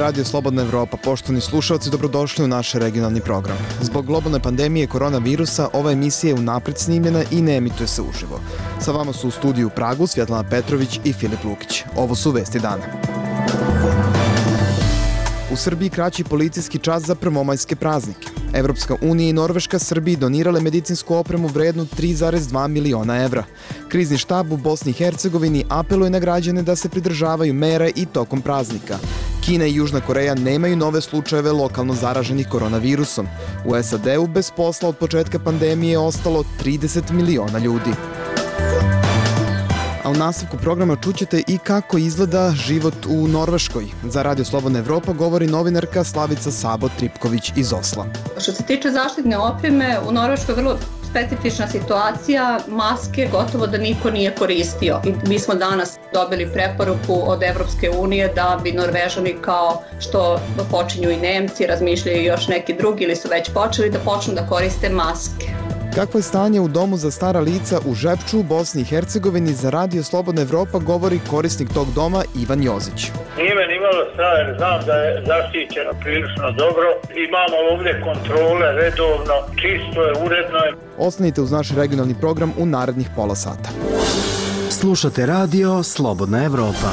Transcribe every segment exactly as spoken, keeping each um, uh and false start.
Radio Slobodna Evropa. Poštovani slušalci, dobrodošli u naš regionalni program. Zbog globalne pandemije koronavirusa, ova emisija je unapred snimljena i ne emituje se uživo. Sa vama su u studiju u Pragu Svjetlana Petrović i Filip Lukić. Ovo su vesti dana. U Srbiji kraći policijski čas za prvomajske praznike. Evropska unija i Norveška Srbiji donirale medicinsku opremu vrednu tri zarez dva miliona evra. Krizni štab u Bosni i Hercegovini apeluje na građane da se pridržavaju mera i tokom praznika. Kina i Južna Koreja nemaju nove slučajeve lokalno zaraženih koronavirusom. U S A D-u bez posla od početka pandemije je ostalo trideset miliona ljudi. A u nastavku programa čućete i kako izgleda život u Norveškoj. Za Radio Slobodna Evropa govori novinarka Slavica Sabo-Tripković iz Osla. Što se tiče zaštitne opreme, u Norveškoj je vrlo specifična situacija, maske gotovo da niko nije koristio. I mi smo danas dobili preporuku od Evropske unije da bi Norvežani, kao što počinju i Nemci, razmišljaju još neki drugi ili su već počeli, da počnu da koriste maske. Kakvo je stanje u domu za stara lica u Žepču u Bosni i Hercegovini, za Radio Slobodna Evropa govori korisnik tog doma Ivan Jozić. Nije me nimalo strah jer znam da je zaštićeno prilično dobro. Imamo ovdje kontrole redovno, čisto je, uredno je. Ostanite uz naš regionalni program u narednih pola sata. Slušate Radio Slobodna Evropa.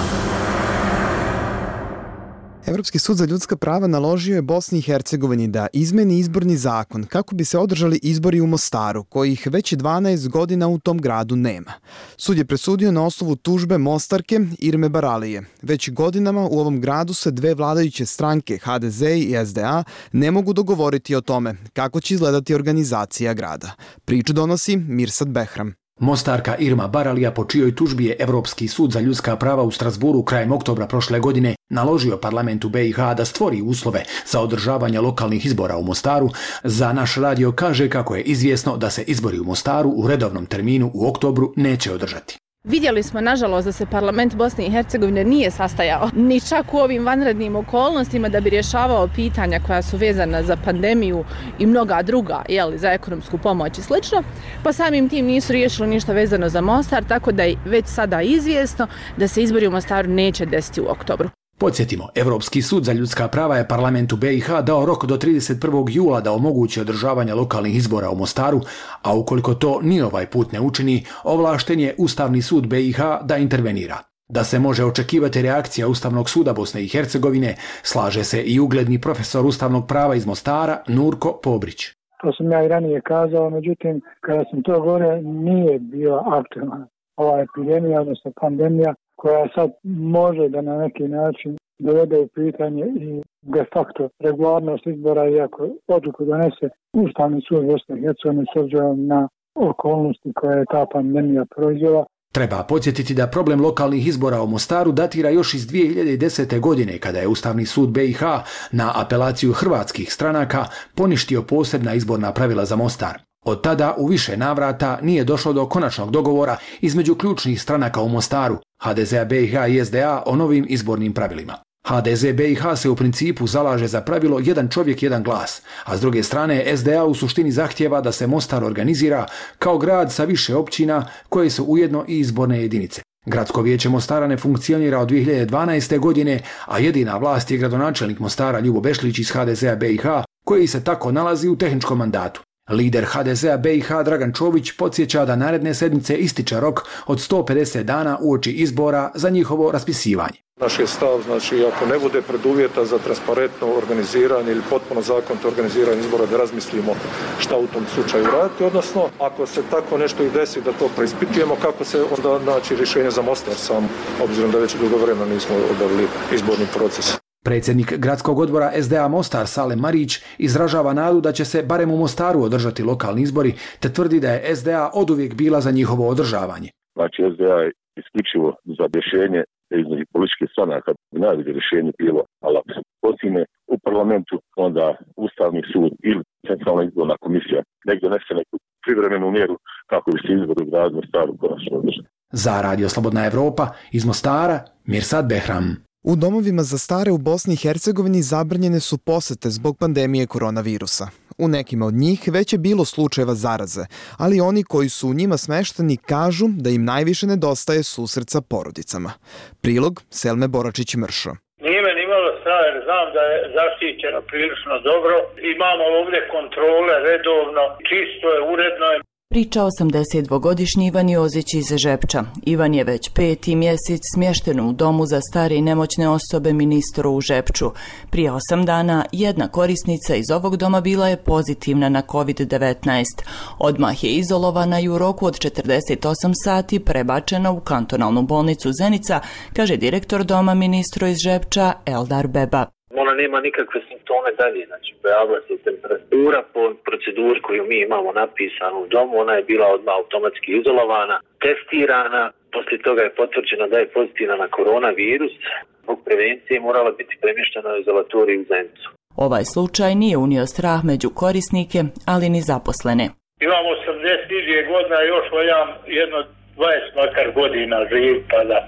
Evropski sud za ljudska prava naložio je Bosni i Hercegovini da izmeni izborni zakon kako bi se održali izbori u Mostaru, kojih već dvanaest godina u tom gradu nema. Sud je presudio na osnovu tužbe Mostarke Irme Baralije. Već godinama u ovom gradu se dve vladajuće stranke, H D Z i S D A, ne mogu dogovoriti o tome kako će izgledati organizacija grada. Priču donosi Mirsad Behram. Mostarka Irma Baralija, po čijoj tužbi je Evropski sud za ljudska prava u Strasburu krajem oktobra prošle godine naložio parlamentu B i H da stvori uslove za održavanje lokalnih izbora u Mostaru, za naš radio kaže kako je izvjesno da se izbori u Mostaru u redovnom terminu u oktobru neće održati. Vidjeli smo, nažalost, da se parlament Bosne i Hercegovine nije sastajao ni čak u ovim vanrednim okolnostima da bi rješavao pitanja koja su vezana za pandemiju i mnoga druga, jeli, za ekonomsku pomoć i slično, pa samim tim nisu riješili ništa vezano za Mostar, tako da je već sada izvjesno da se izbori u Mostaru neće desiti u oktobru. Podsjetimo, Evropski sud za ljudska prava je parlamentu B i H dao rok do trideset prvog jula da omogući održavanje lokalnih izbora u Mostaru, a ukoliko to ni ovaj put ne učini, ovlašten je Ustavni sud B i H da intervenira. Da se može očekivati reakcija Ustavnog suda Bosne i Hercegovine, slaže se i ugledni profesor ustavnog prava iz Mostara, Nurko Pobrić. To sam ja i ranije kazao, međutim, kada sam to govorio, nije bila aktualna ova epidemija, odnosno pandemija, koja sad može da na neki način dovede u pitanje i de facto regularnost izbora, iako odluku donese Ustavni sud Bosne i Hercegovine s obzirom na okolnosti koje je ta pandemija proizvela. Treba podsjetiti da problem lokalnih izbora u Mostaru datira još iz dvije hiljade desete. godine, kada je Ustavni sud B i H na apelaciju hrvatskih stranaka poništio posebna izborna pravila za Mostar. Od tada u više navrata nije došlo do konačnog dogovora između ključnih stranaka u Mostaru, H D Z B i H i S D A, o novim izbornim pravilima. H D Z B i H se u principu zalaže za pravilo jedan čovjek, jedan glas, a s druge strane S D A u suštini zahtijeva da se Mostar organizira kao grad sa više općina koje su ujedno i izborne jedinice. Gradsko vijeće Mostara ne funkcionira od dvije hiljade dvanaeste. godine, a jedina vlast je gradonačelnik Mostara Ljubo Bešlić iz H D Z B i H, koji se tako nalazi u tehničkom mandatu. Lider H D Z B i H Dragan Čović podsjeća da naredne sedmice ističe rok od sto pedeset dana uoči izbora za njihovo raspisivanje. Naš je stav, znači, ako ne bude preduvjeta za transparentno organiziranje ili potpuno zakonito organiziranje izbora, da razmislimo šta u tom slučaju raditi, odnosno ako se tako nešto i desi da to preispitujemo, kako se onda naći rješenje za Mostar sam, obzirom da već dugo vremena nismo obavili izborni proces. Predsjednik gradskog odbora S D A Mostar Salem Marić izražava nadu da će se barem u Mostaru održati lokalni izbori, te tvrdi da je S D A oduvijek bila za njihovo održavanje. Znači S D A je isključivo za rješenje između političkih stranaka, najbolje rješenje bilo, ali ako se postigne u parlamentu, onda Ustavni sud ili Centralna izborna komisija nek donese neku privremenu mjeru kako bi se izbori u gradu Mostaru konačno održali. Za Radio Slobodna Evropa iz Mostara, Mirsad Behram. U domovima za stare u Bosni i Hercegovini zabranjene su posete zbog pandemije koronavirusa. U nekima od njih već je bilo slučajeva zaraze, ali oni koji su u njima smešteni kažu da im najviše nedostaje susret sa porodicama. Prilog Selme Boračić-Mršo. Nije me nimalo strah jer znam da je zaštićeno prilično dobro. Imamo ovdje kontrole redovno, čisto je, uredno je. Priča osamdesetdvogodišnji Ivan Jozić iz Žepča. Ivan je već peti mjesec smješten u domu za stare i nemoćne osobe Ministru u Žepču. Prije osam dana jedna korisnica iz ovog doma bila je pozitivna na kovid devetnaest. Odmah je izolovana i u roku od četrdeset osam sati prebačena u kantonalnu bolnicu Zenica, kaže direktor doma Ministru iz Žepča Eldar Beba. Ona nema nikakve simptome dalje, znači pojavila se temperatura po proceduri koju mi imamo napisanu u domu, ona je bila odmah automatski izolovana, testirana, poslije toga je potvrđeno da je pozitivna na koronavirus, zbog prevencije morala biti premještena u izolatoriju u Zenicu. Ovaj slučaj nije unio strah među korisnike, ali ni zaposlene. Imam osamdeset dvije godina, još voljam jedno dvadeset makar godina živ, pa da.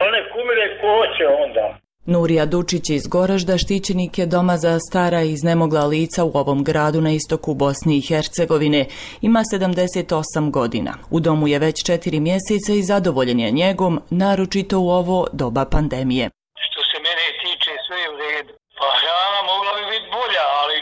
One kumire ko hoće onda. Nurija Dučić iz Goražda štićenik je doma za stara i iznemogla lica u ovom gradu na istoku Bosne i Hercegovine. Ima sedamdeset osam godina. U domu je već četiri mjeseca i zadovoljen je njegom, naročito u ovo doba pandemije. Što se mene tiče, sve je u redu. Pa hrana mogla bi biti bolja, ali,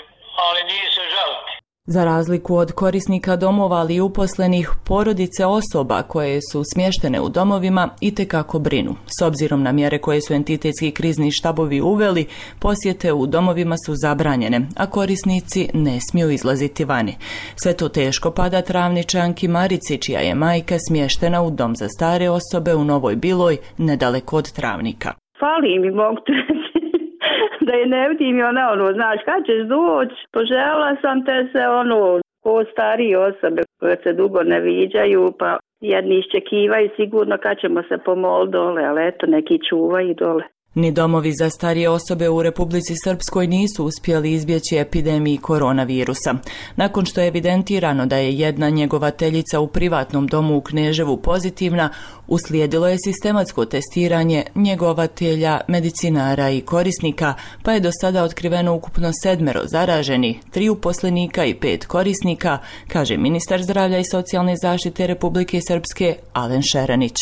ali nije se žaliti. Za razliku od korisnika domova, ali i uposlenih, porodice osoba koje su smještene u domovima itekako brinu. S obzirom na mjere koje su entitetski krizni štabovi uveli, posjete u domovima su zabranjene, a korisnici ne smiju izlaziti vani. Sve to teško pada Travničanki Marici, čija je majka smještena u dom za stare osobe u Novoj Biloj, nedaleko od Travnika. Fali mi, mogu te da je ne vidim i ona ono, znaš, kad ćeš doći, poželjela sam te se ono, ko starije osobe koje se dugo ne viđaju, pa jedni iščekivaju sigurno kad ćemo se pomoliti dole, ali eto, neki čuvaju dole. Ni domovi za starije osobe u Republici Srpskoj nisu uspjeli izbjeći epidemiji koronavirusa. Nakon što je evidentirano da je jedna njegovateljica u privatnom domu u Kneževu pozitivna, uslijedilo je sistematsko testiranje njegovatelja, medicinara i korisnika, pa je do sada otkriveno ukupno sedmero zaraženi, tri uposlenika i pet korisnika, kaže ministar zdravlja i socijalne zaštite Republike Srpske Alen Šeranić.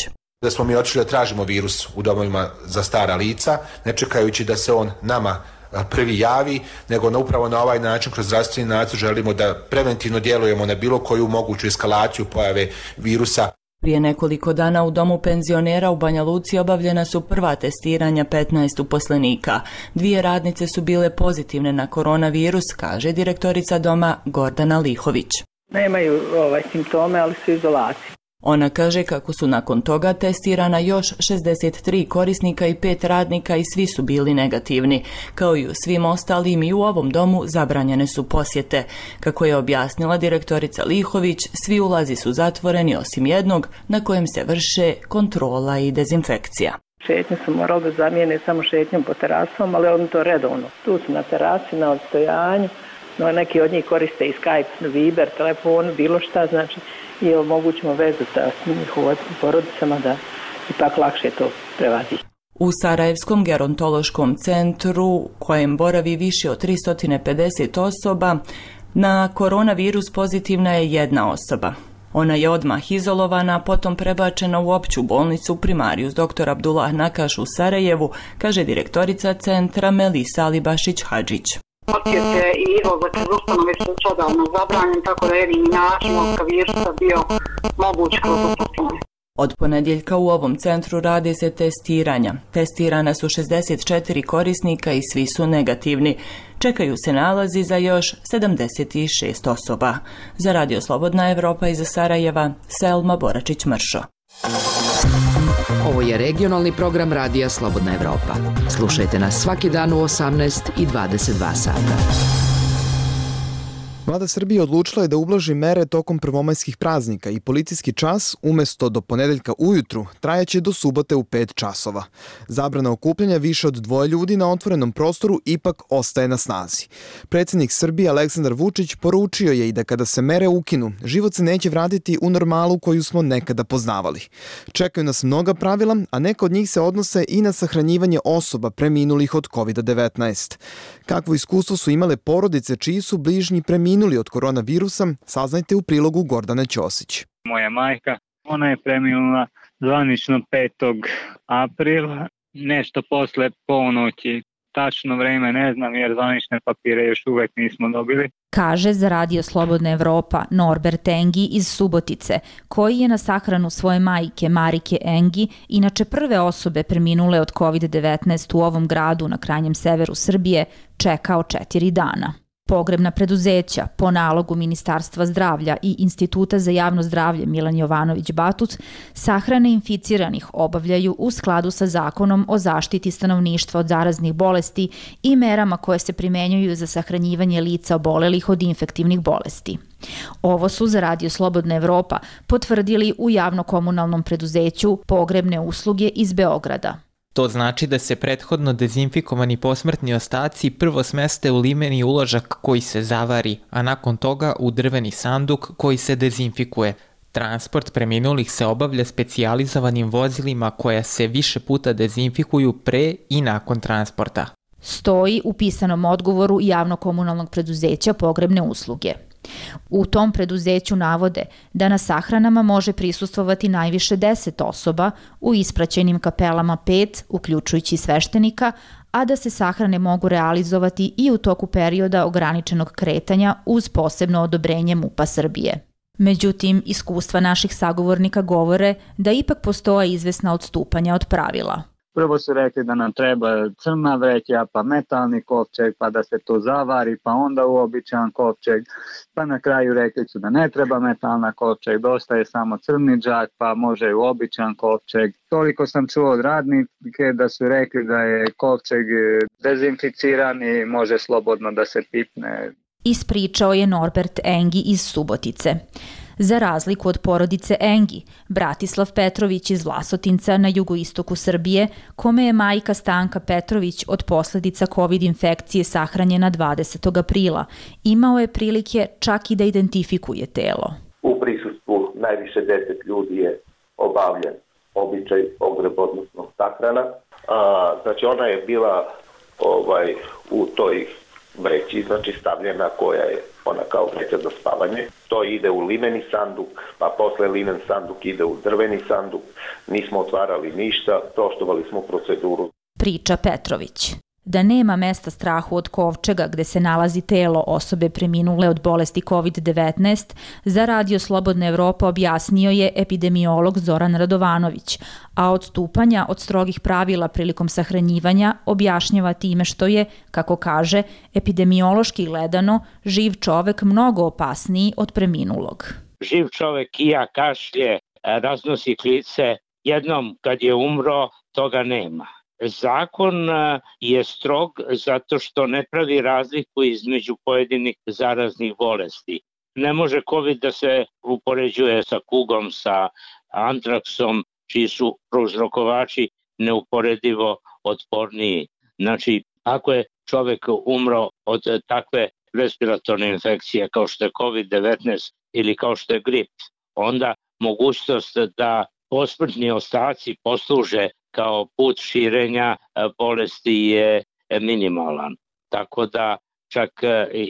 Da smo mi otišli da tražimo virus u domovima za stara lica, ne čekajući da se on nama prvi javi, nego na upravo na ovaj način kroz zdravstveni nadzor želimo da preventivno djelujemo na bilo koju moguću eskalaciju pojave virusa. Prije nekoliko dana u domu penzionera u Banja Luci obavljena su prva testiranja petnaest uposlenika. Dvije radnice su bile pozitivne na koronavirus, kaže direktorica doma Gordana Lihović. Nemaju ovaj, simptome, ali su izolaciji. Ona kaže kako su nakon toga testirana još šezdeset tri korisnika i pet radnika i svi su bili negativni. Kao i u svim ostalim i u ovom domu zabranjene su posjete. Kako je objasnila direktorica Lihović, svi ulazi su zatvoreni osim jednog na kojem se vrše kontrola i dezinfekcija. Šetnje su morali da zamijene samo šetnjom po terasom, ali oni to redovno. Tu su na terasi, na odstojanju, no neki od njih koriste i Skype, Viber, telefon, bilo šta, znači i omogućimo vezu sa njihovim porodicama da ipak lakše to prevadi. U Sarajevskom gerontološkom centru, kojem boravi više od tristo pedeset osoba, na koronavirus pozitivna je jedna osoba. Ona je odmah izolovana, potom prebačena u opću bolnicu Primarius doktor Abdullah Nakaš u Sarajevu, kaže direktorica centra Melisa Alibašić-Hadžić. Posjete i izlazak iz ustanove su odavno zabranjen, tako da jedini način od virusa bio moguć kroz ustanove. Od ponedjeljka u ovom centru rade se testiranja. Testirana su šezdeset četiri korisnika i svi su negativni. Čekaju se nalazi za još sedamdeset šest osoba. Za Radio Slobodna Evropa iz Sarajeva, Selma Boračić-Mršo. Ovo je regionalni program Radija Slobodna Evropa. Slušajte nas svaki dan u osamnaest i dvadeset dva sata. Vlada Srbije odlučila je da ublaži mere tokom prvomajskih praznika i policijski čas umjesto do ponedeljka ujutru trajaće do subote u pet časova. Zabrana okupljanja više od dvoje ljudi na otvorenom prostoru ipak ostaje na snazi. Predsjednik Srbije Aleksandar Vučić poručio je i da kada se mere ukinu, život se neće vratiti u normalu koju smo nekada poznavali. Čekaju nas mnoga pravila, a neka od njih se odnose i na sahranjivanje osoba preminulih od kovid devetnaest. Kakvo iskustvo su imale porodice čiji su bližnji preminuli od koronavirusa, saznajte u prilogu Gordane Ćosić. Moja majka, ona je preminula zvanično petog aprila nešto posle ponoći. Tačno vreme ne znam jer zvanične papire još uvek nismo dobili. Kaže za Radio Slobodna Evropa Norbert Engi iz Subotice, koji je na sahranu svoje majke Marike Engi, inače prve osobe preminule od kovid devetnaest u ovom gradu na krajnjem severu Srbije, čekao četiri dana. Pogrebna preduzeća po nalogu Ministarstva zdravlja i Instituta za javno zdravlje Milan Jovanović Batut sahrane inficiranih obavljaju u skladu sa Zakonom o zaštiti stanovništva od zaraznih bolesti i merama koje se primenjuju za sahranjivanje lica obolelih od infektivnih bolesti. Ovo su za Radio Slobodna Evropa potvrdili u javno-komunalnom preduzeću Pogrebne usluge iz Beograda. To znači da se prethodno dezinfikovani posmrtni ostaci prvo smeste u limeni uložak koji se zavari, a nakon toga u drveni sanduk koji se dezinfikuje. Transport preminulih se obavlja specijalizovanim vozilima koja se više puta dezinfikuju pre i nakon transporta. Stoji u pisanom odgovoru javno-komunalnog preduzeća Pogrebne usluge. U tom preduzeću navode da na sahranama može prisustvovati najviše deset osoba, u ispraćenim kapelama pet, uključujući sveštenika, a da se sahrane mogu realizovati i u toku perioda ograničenog kretanja uz posebno odobrenje MUP-a Srbije. Međutim, iskustva naših sagovornika govore da ipak postoje izvesna odstupanja od pravila. Prvo su rekli da nam treba crna vreća, pa metalni kovčeg, pa da se to zavari, pa onda uobičajan kovčeg, pa na kraju rekli su da ne treba metalna kovčeg, dosta je samo crni džak, pa može i uobičajan kovčeg. Toliko sam čuo od radnike da su rekli da je kovčeg dezinficiran i može slobodno da se pipne. Ispričao je Norbert Engi iz Subotice. Za razliku od porodice Engi, Bratislav Petrović iz Vlasotinca na jugoistoku Srbije, kome je majka Stanka Petrović od posledica COVID infekcije sahranjena dvadesetog aprila, imao je prilike čak i da identifikuje telo. U prisustvu najviše deset ljudi je obavljen običaj pogreb, odnosno sahrana. A, znači ona je bila ovaj, u toj vreći, znači stavljena koja je ona kao vreća za spavanje. To ide u limeni sanduk, pa posle limen sanduk ide u drveni sanduk. Nismo otvarali ništa, poštovali smo proceduru. Priča Petrović. Da nema mesta strahu od kovčega gde se nalazi telo osobe preminule od bolesti COVID devetnaest, za Radio Slobodna Evropa objasnio je epidemiolog Zoran Radovanović, a odstupanja od strogih pravila prilikom sahranjivanja objašnjava time što je, kako kaže, epidemiološki gledano, živ čovek mnogo opasniji od preminulog. Živ čovek ija, kašlje, raznosi klice, jednom kad je umro, toga nema. Zakon je strog zato što ne pravi razliku između pojedinih zaraznih bolesti. Ne može COVID da se upoređuje sa kugom, sa antraksom, čiji su prouzrokovači neuporedivo otporniji. Znači, ako je čovek umro od takve respiratorne infekcije kao što je COVID devetnaest ili kao što je grip, onda mogućnost da posmrtni ostaci posluže kao put širenja bolesti je minimalan. Tako da čak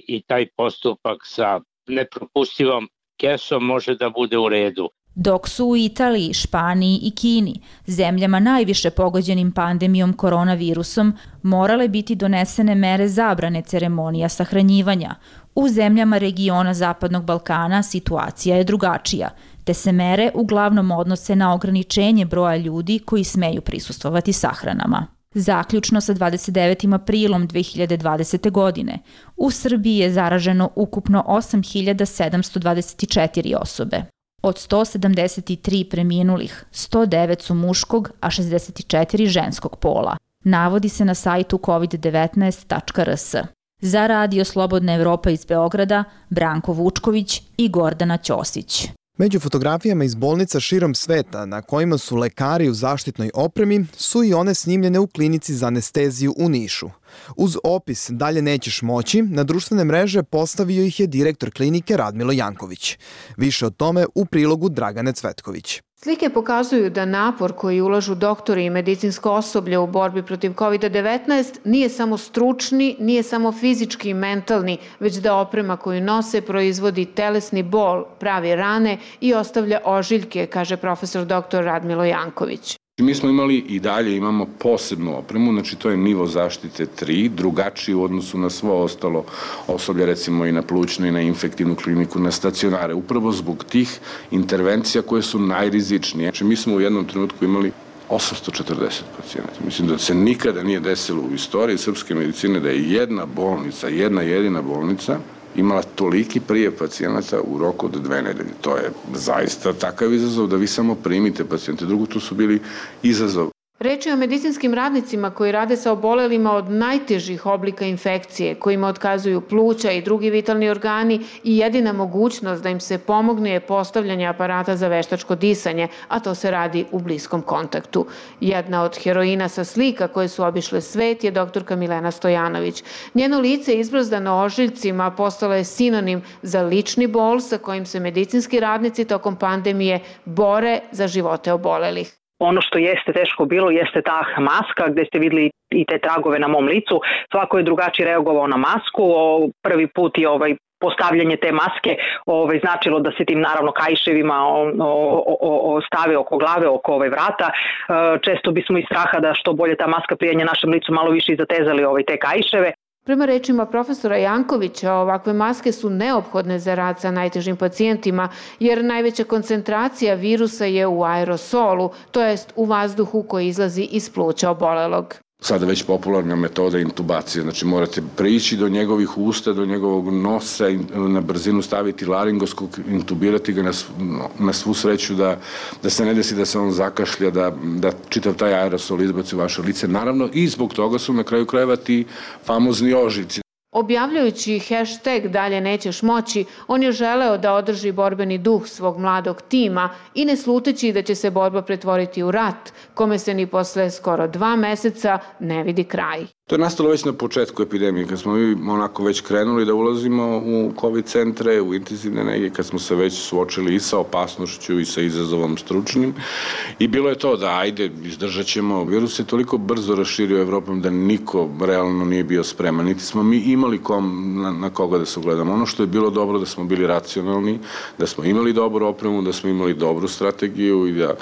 i taj postupak sa nepropustivom kesom može da bude u redu. Dok su u Italiji, Španiji i Kini, zemljama najviše pogođenim pandemijom koronavirusom, morale biti donesene mere zabrane ceremonija sahranjivanja. U zemljama regiona Zapadnog Balkana situacija je drugačija, te se mere uglavnom odnose na ograničenje broja ljudi koji smeju prisustvovati sahranama. Zaključno sa dvadeset devetim aprilom dve hiljade dvadesete. godine, u Srbiji je zaraženo ukupno osam hiljada sedamsto dvadeset četiri osobe. Od sto sedamdeset tri preminulih, sto devet su muškog, a šezdeset četiri ženskog pola. Navodi se na sajtu covid devetnaest tačka r s. Za Radio Slobodna Evropa iz Beograda, Branko Vučković i Gordana Ćosić. Među fotografijama iz bolnica širom sveta na kojima su lekari u zaštitnoj opremi su i one snimljene u klinici za anesteziju u Nišu. Uz opis "Dalje nećeš moći" na društvene mreže postavio ih je direktor klinike Radmilo Janković. Više o tome u prilogu Dragane Cvetković. Slike pokazuju da napor koji ulažu doktori i medicinsko osoblje u borbi protiv covid devetnaest nije samo stručni, nije samo fizički i mentalni, već da oprema koju nose proizvodi telesni bol, pravi rane i ostavlja ožiljke, kaže profesor doktor Radmilo Janković. Mi smo imali i dalje imamo posebnu opremu, znači to je nivo zaštite tri, drugačiji u odnosu na svo ostalo osoblje, recimo i na plućnu i na infektivnu kliniku, na stacionare, upravo zbog tih intervencija koje su najrizičnije. Znači mi smo u jednom trenutku imali osamsto četrdeset pacijenata. Mislim da se nikada nije desilo u istoriji srpske medicine da je jedna bolnica, jedna jedina bolnica imala toliki prijev pacijenata u roku od dve nedelje. To je zaista takav izazov da vi samo primite pacijente. Drugo, tu su bili izazov. Reč je o medicinskim radnicima koji rade sa obolelima od najtežih oblika infekcije, kojima otkazuju pluća i drugi vitalni organi i jedina mogućnost da im se pomogne je postavljanje aparata za veštačko disanje, a to se radi u bliskom kontaktu. Jedna od heroina sa slika koje su obišle svet je doktorka Milena Stojanović. Njeno lice izbrazdano ožiljcima postalo je sinonim za lični bol sa kojim se medicinski radnici tokom pandemije bore za živote obolelih. Ono što jeste teško bilo jeste ta maska gdje ste vidjeli i te tragove na mom licu. Svako je drugačije reagovao na masku. Prvi put je ovaj postavljanje te maske ovaj, značilo da se tim naravno kaiševima o, o, o, o stave oko glave, oko ovaj vrata. E, često bismo iz straha da što bolje ta maska prijanje našem licu malo više i zatezali ovaj, te kaiševe. Prema rečima profesora Jankovića, ovakve maske su neophodne za rad sa najtežim pacijentima, jer najveća koncentracija virusa je u aerosolu, to jest u vazduhu koji izlazi iz pluća obolelog. Sada već popularna metoda intubacije, znači morate prići do njegovih usta, do njegovog nosa, na brzinu staviti laringoskop, intubirati ga na, na svu sreću da, da se ne desi da se on zakašlja, da, da čitav taj aerosol izbaci u vaše lice. Naravno i zbog toga su na kraju krajeva ti famozni ožiljci. Objavljujući hashtag Dalje nećeš moći, on je želeo da održi borbeni duh svog mladog tima i ne sluteći da će se borba pretvoriti u rat, kome se ni posle skoro dva meseca ne vidi kraj. To je nastalo već na početku epidemije, kad smo mi onako već krenuli da ulazimo u COVID centre, u intenzivne nege, kad smo se već suočili i sa opasnošću i sa izazovom stručnim. I bilo je to da ajde, izdržat ćemo. Virus se toliko brzo raširio Evropom da niko realno nije bio spreman. Niti smo mi imali kom, na, na koga da se ugledamo. Ono što je bilo dobro da smo bili racionalni, da smo imali dobru opremu, da smo imali dobru strategiju i da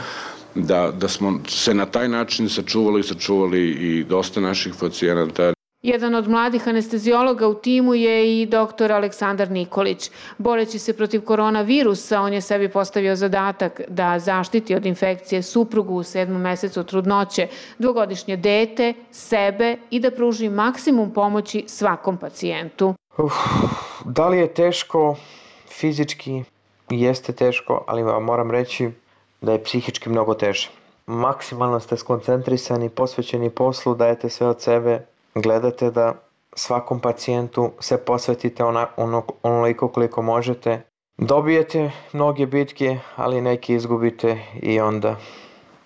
Da, da smo se na taj način sačuvali i sačuvali i dosta naših pacijenata. Jedan od mladih anesteziologa u timu je i doktor Aleksandar Nikolić. Boreći se protiv koronavirusa, on je sebi postavio zadatak da zaštiti od infekcije suprugu u sedmom mesecu trudnoće, dvogodišnje dete, sebe i da pruži maksimum pomoći svakom pacijentu. Uf, da li je teško? Fizički jeste teško, ali vam moram reći da je psihički mnogo teže. Maksimalno ste skoncentrisani, posvećeni poslu, dajete sve od sebe, gledate da svakom pacijentu se posvetite ona, ono, onoliko koliko možete. Dobijete mnoge bitke, ali neki izgubite i onda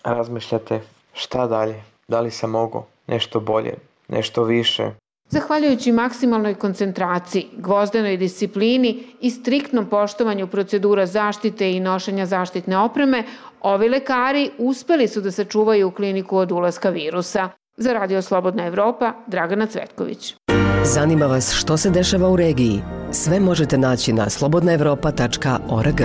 razmišljate šta dalje, da li sam mogao nešto bolje, nešto više. Zahvaljujući maksimalnoj koncentraciji, gvozdenoj disciplini i striktnom poštovanju procedura zaštite i nošenja zaštitne opreme, ovi lekari uspeli su da sačuvaju kliniku od ulaska virusa. Za Radio Slobodna Evropa, Dragana Cvetković. Zanima vas što se dešava u regiji? Sve možete naći na slobodna evropa tačka org.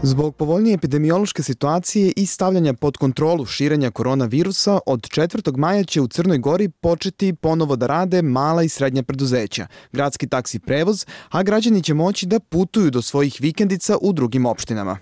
Zbog povoljnije epidemiološke situacije i stavljanja pod kontrolu širenja koronavirusa, od četvrtog maja će u Crnoj Gori početi ponovo da rade mala i srednja preduzeća, gradski taksi prevoz, a građani će moći da putuju do svojih vikendica u drugim opštinama.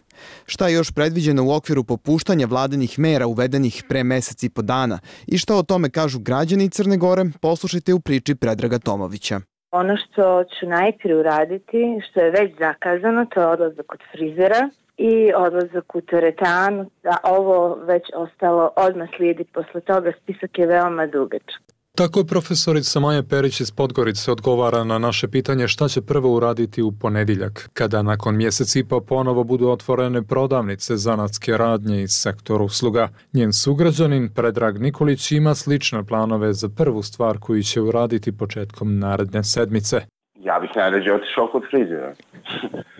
Šta je još predviđeno u okviru popuštanja vladinih mera uvedenih pre mesec i po dana i šta o tome kažu građani Crne Gore, poslušajte u priči Predraga Tomovića. Ono što ću najprije uraditi, što je već zakazano, to je odlazak kod frizera i odlazak u teretanu, da ovo već ostalo odmah slijedi posle toga, spisak je veoma dugačak. Tako je profesorica Maja Perić iz Podgorice odgovara na naše pitanje šta će prvo uraditi u ponedjeljak, kada nakon mjesec i po ponovo budu otvorene prodavnice zanatske radnje iz sektora usluga. Njen sugrađanin Predrag Nikolić ima slične planove za prvu stvar koju će uraditi početkom naredne sedmice. Ja bih najrađe otišao kod frizera.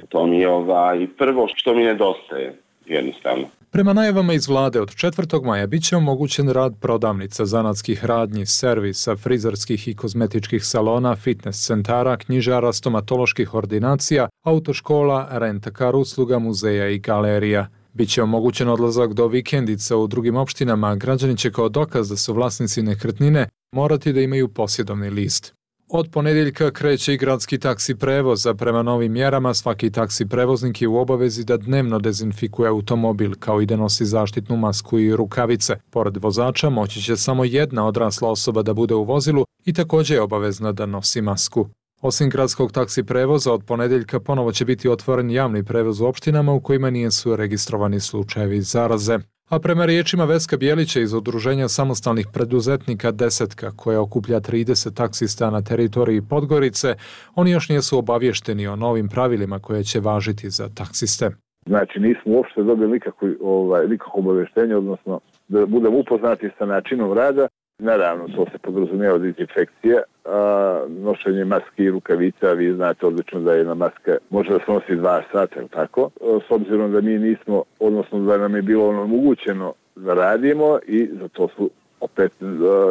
To mi je ovaj prvo što mi nedostaje, jednostavno. Prema najavama iz vlade, od četvrtog maja bit će omogućen rad prodavnica, zanatskih radnji, servisa, frizerskih i kozmetičkih salona, fitness centara, knjižara, stomatoloških ordinacija, autoškola, rent-a-car usluga, muzeja i galerija. Biće omogućen odlazak do vikendica u drugim opštinama, a građani će kao dokaz da su vlasnici nekretnine morati da imaju posjedovni list. Od ponedjeljka kreće i gradski taksi prevoz, a prema novim mjerama svaki taksi prevoznik je u obavezi da dnevno dezinfikuje automobil, kao i da nosi zaštitnu masku i rukavice. Pored vozača moći će samo jedna odrasla osoba da bude u vozilu i također je obavezna da nosi masku. Osim gradskog taksi prevoza, od ponedjeljka ponovo će biti otvoren javni prevoz u opštinama u kojima nisu registrovani slučajevi zaraze. A prema riječima Veska Bjelića iz Udruženja samostalnih preduzetnika Desetka, koja okuplja trideset taksista na teritoriji Podgorice, oni još nisu obavješteni o novim pravilima koje će važiti za taksiste. Znači nismo uopšte dobili nikakvo, ovaj, nikakvo obavještenje, odnosno da budemo upoznati sa načinom rada. Naravno, to se podrazumijeva dezinfekcija, a nošenje maske i rukavica, vi znate odlično da jedna maska može da se nosi dva sata, tako? S obzirom da mi nismo, odnosno da nam je bilo omogućeno da radimo i za to su opet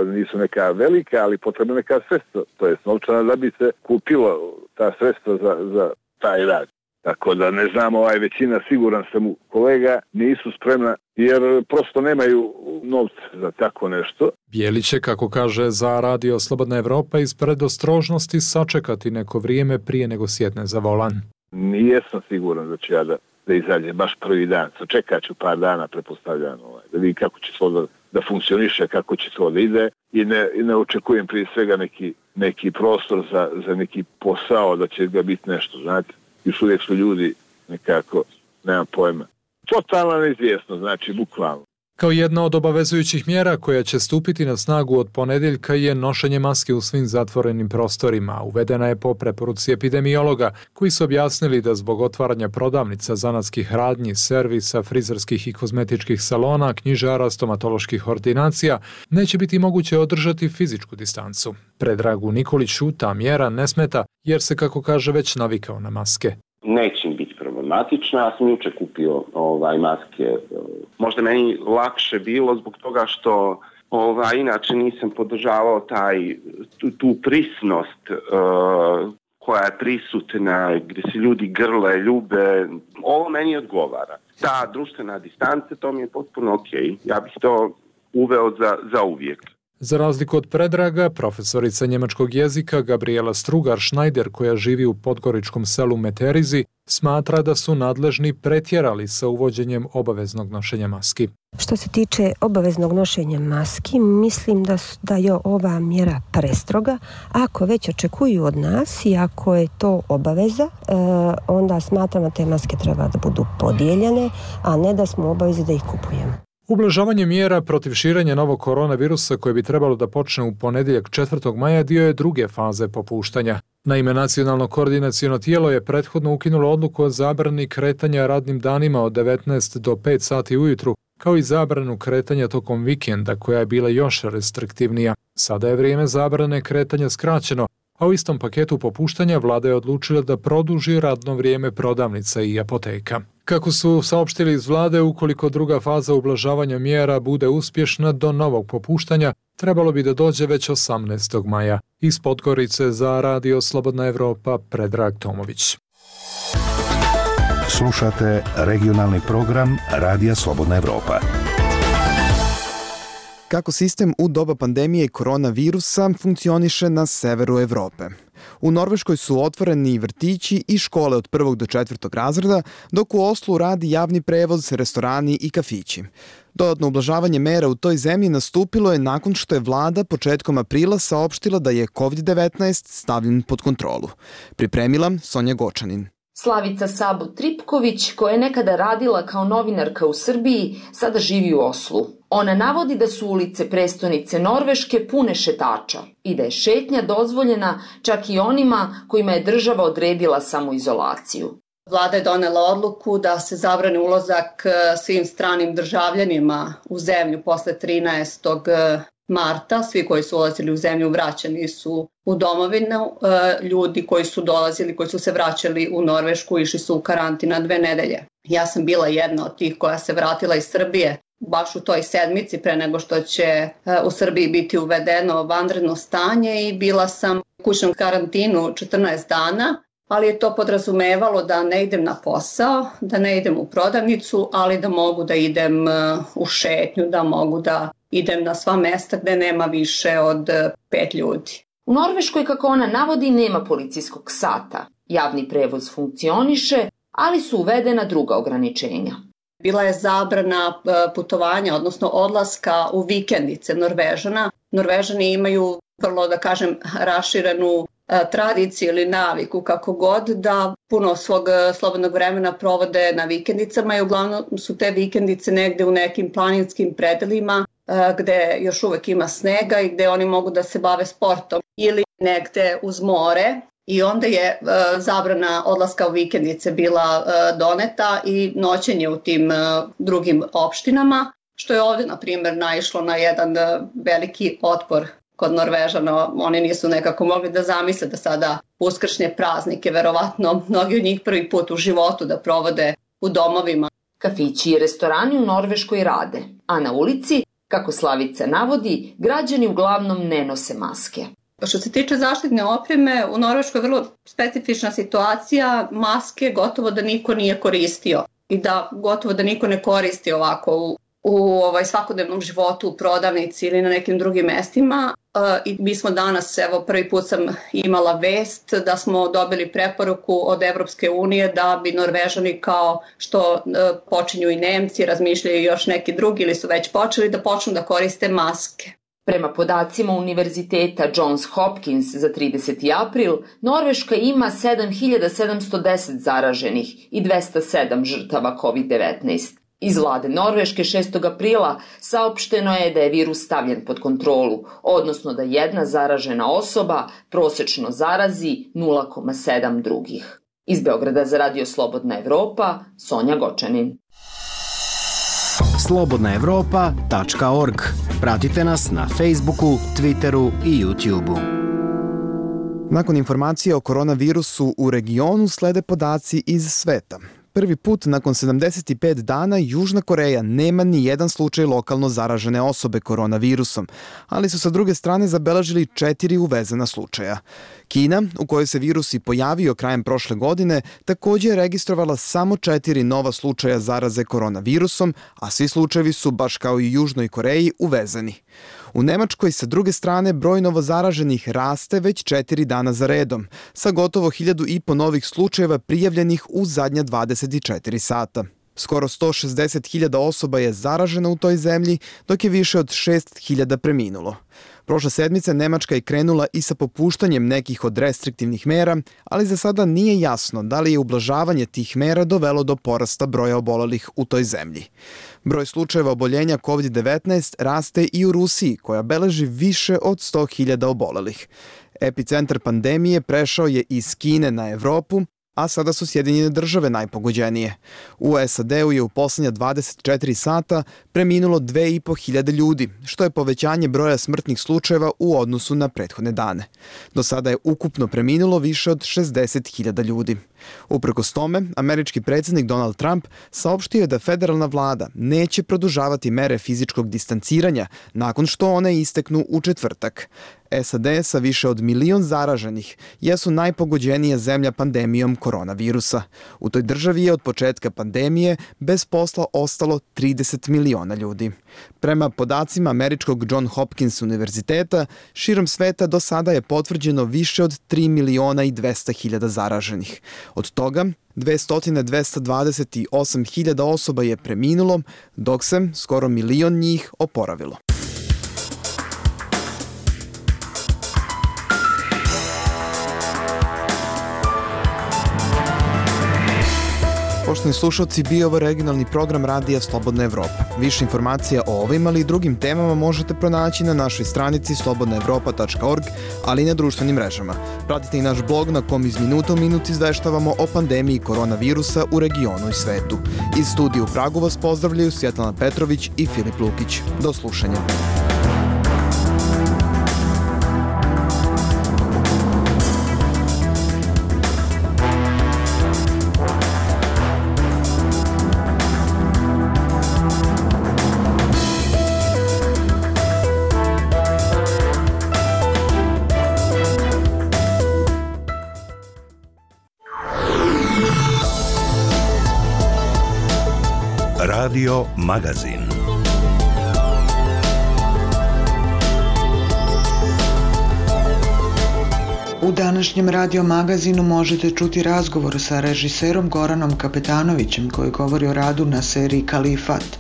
nisu neka velika, ali potrebna neka sredstva, to je novčana da bi se kupilo ta sredstva za, za taj rad. Tako da ne znam, ovaj većina, siguran sam u kolega, nisu spremna jer prosto nemaju novca za tako nešto. Bjelić će, kako kaže za Radio Slobodna Evropa, iz predostrožnosti sačekati neko vrijeme prije nego sjedne za volan. Nijesam siguran da ću ja da, da izađem baš prvi dan. Sačekat ću par dana, pretpostavljam, ovaj, da vidim kako će to da, da funkcioniše, kako će to da ide i ne, i ne očekujem prije svega neki, neki prostor za, za neki posao da će ga biti nešto, znate. Još uvijek su ljudi nekako, nemam pojma. Totalna neizvjesno, znači bukvalno. Kao jedna od obavezujućih mjera koja će stupiti na snagu od ponedjeljka je nošenje maske u svim zatvorenim prostorima. Uvedena je po preporuci epidemiologa koji su objasnili da zbog otvaranja prodavnica, zanatskih radnji, servisa, frizerskih i kozmetičkih salona, knjižara, stomatoloških ordinacija neće biti moguće održati fizičku distancu. Predragu Nikoliću ta mjera ne smeta jer se, kako kaže, već navikao na maske. Neće im biti problematična, ja sam jučer kupio ovaj, maske. Možda meni lakše bilo zbog toga što ovaj, inače nisam podržavao taj, tu, tu prisnost uh, koja je prisutna, gdje se ljudi grle, ljube. Ovo meni odgovara. Ta društvena distanca, to mi je potpuno ok. Ja bih to uveo za, za uvijek. Za razliku od Predraga, profesorica njemačkog jezika Gabriela Strugar-Schneider, koja živi u podgoričkom selu Meterizi, smatra da su nadležni pretjerali sa uvođenjem obaveznog nošenja maski. Što se tiče obaveznog nošenja maski, mislim da, da je ova mjera prestroga. Ako već očekuju od nas i ako je to obaveza, e, onda smatram da te maske treba da budu podijeljene, a ne da smo u obavezi da ih kupujemo. Ublažavanje mjera protiv širenja novog koronavirusa koje bi trebalo da počne u ponedjeljak četvrtog maja dio je druge faze popuštanja. Naime, nacionalno koordinaciono tijelo je prethodno ukinulo odluku o zabrani kretanja radnim danima od devetnaest do pet sati ujutru, kao i zabranu kretanja tokom vikenda koja je bila još restriktivnija. Sada je vrijeme zabrane kretanja skraćeno, a u istom paketu popuštanja vlada je odlučila da produži radno vrijeme prodavnica i apoteka. Kako su saopštili iz vlade, ukoliko druga faza ublažavanja mjera bude uspješna do novog popuštanja, trebalo bi da dođe već osamnaestog maja. Iz Podgorice za Radio Slobodna Evropa, Predrag Tomović. Slušate regionalni program Radija Slobodna Evropa. Kako sistem u doba pandemije koronavirusa funkcioniše na severu Evrope. U Norveškoj su otvoreni vrtići i škole od prvog do četvrtog razreda, dok u Oslu radi javni prevoz, restorani i kafići. Dodatno ublažavanje mera u toj zemlji nastupilo je nakon što je vlada početkom aprila saopštila da je kovid devetnaest stavljen pod kontrolu. Pripremila Sonja Gočanin. Slavica Sabo Tripković, koja je nekada radila kao novinarka u Srbiji, sada živi u Oslu. Ona navodi da su ulice prestonice Norveške pune šetača i da je šetnja dozvoljena čak i onima kojima je država odredila samoizolaciju. Vlada je donela odluku da se zabrani ulazak svim stranim državljanima u zemlju posle trinaestog marta. Svi koji su ulazili u zemlju vraćani su u domovinu. Ljudi koji su dolazili, koji su se vraćali u Norvešku, išli su u karantin na dve nedelje. Ja sam bila jedna od tih koja se vratila iz Srbije baš u toj sedmici pre nego što će u Srbiji biti uvedeno vanredno stanje i bila sam u kućnom karantinu četrnaest dana. ali je to podrazumevalo da ne idem na posao, da ne idem u prodavnicu, ali da mogu da idem u šetnju, da mogu da idem na sva mesta gde nema više od pet ljudi. U Norveškoj, kako ona navodi, nema policijskog sata. Javni prevoz funkcioniše, ali su uvedena druga ograničenja. Bila je zabrana putovanja, odnosno odlaska u vikendice Norvežana. Norvežani imaju vrlo, da kažem, raširenu tradiciju ili naviku, kako god, da puno svog slobodnog vremena provode na vikendicama i uglavnom su te vikendice negde u nekim planinskim predelima gde još uvek ima snega i gde oni mogu da se bave sportom ili negde uz more. I onda je uh, zabrana odlaska u vikendice bila uh, doneta i noćenje u tim uh, drugim opštinama, što je ovde, na primjer, naišlo na jedan uh, veliki otpor kod Norvežana. Oni nisu nekako mogli da zamisle da sada uskršnje praznike, verovatno mnogi od njih prvi put u životu da provode u domovima. Kafići i restorani u Norveškoj rade, a na ulici, kako Slavica navodi, građani uglavnom ne nose maske. Što se tiče zaštitne opreme, u Norveškoj je vrlo specifična situacija, maske gotovo da niko nije koristio i da gotovo da niko ne koristi ovako u, u ovaj, svakodnevnom životu, u prodavnici ili na nekim drugim mestima. E, I mi smo danas, evo prvi put sam imala vest da smo dobili preporuku od Evropske unije da bi Norvežani, kao što e, počinju i Nemci, razmišljaju još neki drugi ili su već počeli, da počnu da koriste maske. Prema podacima Univerziteta Johns Hopkins za trideseti april, Norveška ima sedam hiljada sedamsto deset zaraženih i dvesta sedam žrtava kovid devetnaest. Iz vlade Norveške šestog aprila saopšteno je da je virus stavljen pod kontrolu, odnosno da jedna zaražena osoba prosečno zarazi nula zarez sedam drugih. Iz Beograda za Radio Slobodna Evropa, Sonja Gočanin. slobodna evropa tačka org. Pratite nas na Facebooku, Twitteru i YouTubeu. Nakon informacije o koronavirusu u regionu slede podaci iz sveta. Prvi put nakon sedamdeset pet dana Južna Koreja nema ni jedan slučaj lokalno zaražene osobe koronavirusom, ali su sa druge strane zabeležili četiri uvezena slučaja. Kina, u kojoj se virus i pojavio krajem prošle godine, takođe je registrovala samo četiri nova slučaja zaraze koronavirusom, a svi slučajevi su, baš kao i u Južnoj Koreji, uvezeni. U Nemačkoj, sa druge strane, broj novozaraženih raste već četiri dana za redom, sa gotovo hiljadu i po novih slučajeva prijavljenih u zadnja dvadeset četiri sata. Skoro sto šezdeset hiljada osoba je zaraženo u toj zemlji, dok je više od šest hiljada preminulo. Prošle sedmice Nemačka je krenula i sa popuštanjem nekih od restriktivnih mera, ali za sada nije jasno da li je ublažavanje tih mera dovelo do porasta broja obolelih u toj zemlji. Broj slučajeva oboljenja kovid devetnaest raste i u Rusiji, koja beleži više od sto hiljada obolelih. Epicentar pandemije prešao je iz Kine na Evropu, a sada su Sjedinjene države najpogođenije. U S A D-u je u poslednja dvadeset četiri sata preminulo dve i po hiljade ljudi, što je povećanje broja smrtnih slučajeva u odnosu na prethodne dane. Do sada je ukupno preminulo više od šezdeset hiljada ljudi. Uprkos tome, američki predsjednik Donald Trump saopštio je da federalna vlada neće produžavati mere fizičkog distanciranja nakon što one isteknu u četvrtak. S A D sa više od milion zaraženih jesu najpogođenija zemlja pandemijom koronavirusa. U toj državi je od početka pandemije bez posla ostalo trideset miliona ljudi. Prema podacima američkog John Hopkins univerziteta, širom sveta do sada je potvrđeno više od tri miliona i dvesta hiljada zaraženih. Od toga, dvesta do dvesta dvadeset osam hiljada osoba je preminulo, dok se skoro milion njih oporavilo. Poštovani slušalci, bio ovo regionalni program Radija Slobodna Evropa. Više informacija o ovim, ali i drugim temama možete pronaći na našoj stranici slobodna evropa tačka org, ali i na društvenim mrežama. Pratite i naš blog na kom iz minuta u minut izveštavamo o pandemiji koronavirusa u regionu i svetu. Iz studija u Pragu vas pozdravljaju Svjetlana Petrović i Filip Lukić. Do slušanja. Radio Magazin. U današnjem Radio Magazinu možete čuti razgovor sa režiserom Goranom Kapetanovićem koji govori o radu na seriji Kalifat.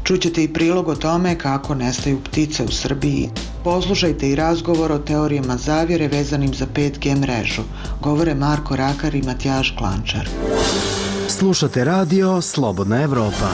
Čućete i prilog o tome kako nestaju ptice u Srbiji. Poslušajte i razgovor o teorijama zavjere vezanim za pet G mrežu. Govore Marko Rakar i Matijaž Klančar. Slušate radio Slobodna Evropa.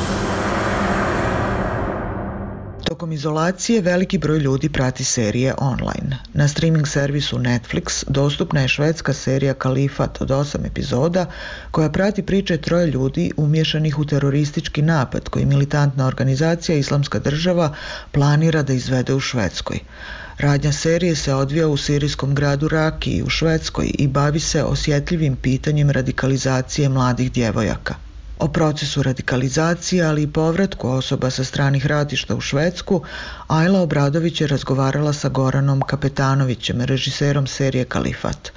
Tokom izolacije veliki broj ljudi prati serije online. Na streaming servisu Netflix dostupna je švedska serija Kalifat od osam epizoda koja prati priče troje ljudi umješanih u teroristički napad koji militantna organizacija Islamska država planira da izvede u Švedskoj. Radnja serije se odvija u sirijskom gradu Rakiji u Švedskoj i bavi se osjetljivim pitanjem radikalizacije mladih djevojaka. O procesu radikalizacije, ali i povratku osoba sa stranih ratišta u Švedsku, Ajla Obradović je razgovarala sa Goranom Kapetanovićem, režiserom serije Kalifat.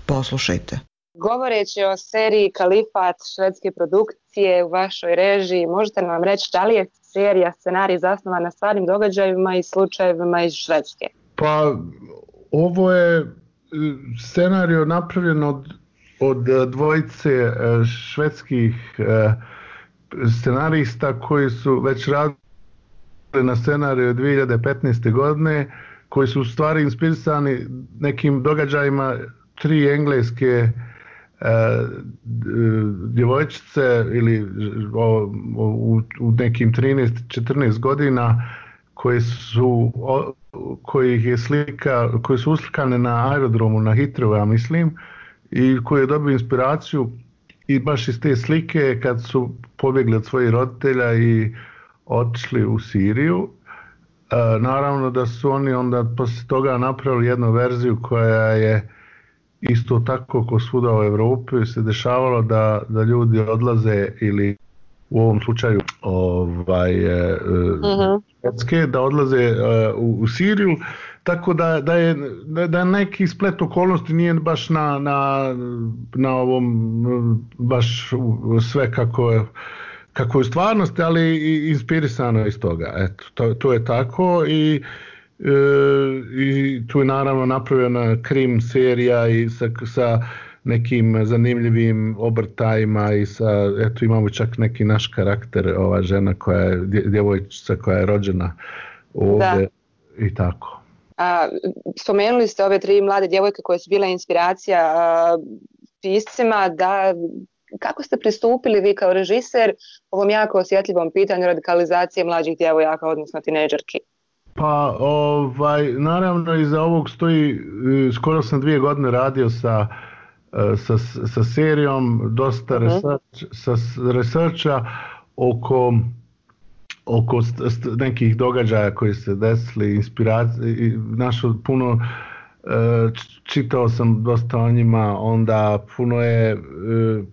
Poslušajte. Govoreći o seriji Kalifat švedske produkcije u vašoj režiji, možete li nam reći da li je serija scenarij zasnovan na stvarnim događajima i slučajevima iz Švedske? Pa, ovo je scenarij napravljen od od dvojice švedskih scenarista koji su već radili na scenariju dvije hiljade petnaeste. godine, koji su u stvari inspirisani nekim događajima tri engleske djevojčice ili u, u nekim trinaest četrnaest godina koji su koji je slika, koji su uslikane na aerodromu na Heathrow, ja mislim, i koji je dobio inspiraciju i baš iz te slike kad su pobjegli od svojih roditelja i otišli u Siriju. E, naravno da su oni onda poslije toga napravili jednu verziju koja je isto tako kao svuda u Europi se dešavalo da, da ljudi odlaze ili u ovom slučaju ovaj, e, uh-huh. Švedske, da odlaze e, u, u Siriju. Tako da, da je da neki splet okolnosti nije baš na, na, na ovom baš sve kako je, kako je u stvarnosti, ali i inspirisano iz toga. Eto, to, to je tako i, e, i tu je naravno napravljena krim serija i sa, sa nekim zanimljivim obrtajima i sa, eto imamo čak neki naš karakter, ova žena koja je, djevojčica koja je rođena ovdje i tako. A, spomenuli ste ove tri mlade djevojke koje su bile inspiracija a, piscima, da kako ste pristupili vi kao režiser ovom jako osjetljivom pitanju radikalizacije mlađih djevojaka, odnosno tinejdžerki? Pa ovaj, naravno iza ovog stoji, skoro sam dvije godine radio sa, sa, sa serijom, dosta uh-huh. research, sa researcha oko oko st- nekih događaja koji se desili, inspiracije, našo puno, e, čitao sam dosta o njima, onda puno je, e,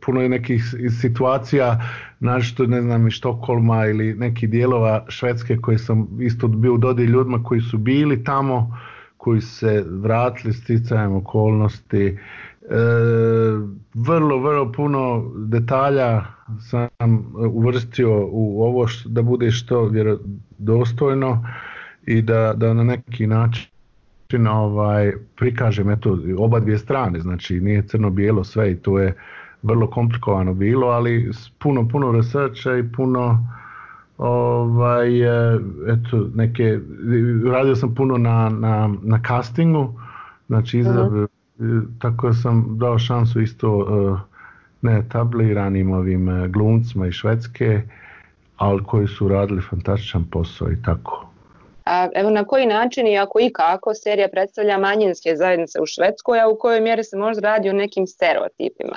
puno je nekih situacija, našto ne znam iz Štokholma ili nekih dijelova Švedske koji sam isto bio u dodiri ljudima koji su bili tamo, koji se vratili sticajem okolnosti. E, vrlo, vrlo puno detalja sam uvrstio u ovo što, da bude što vjerodostojno i da, da na neki način ovaj, prikažem eto, oba dvije strane, znači nije crno-bijelo sve i to je vrlo komplikovano bilo, ali puno, puno researcha i puno ovaj, eto, neke, radio sam puno na, na, na castingu, znači izabir, uh-huh. tako sam dao šansu isto uh, neetabliranim ovim uh, glumcima iz Švedske, ali koji su radili fantastičan posao i tako. A evo na koji način i ako i kako serija predstavlja manjinske zajednice u Švedskoj, a u kojoj mjeri se možda radi o nekim stereotipima?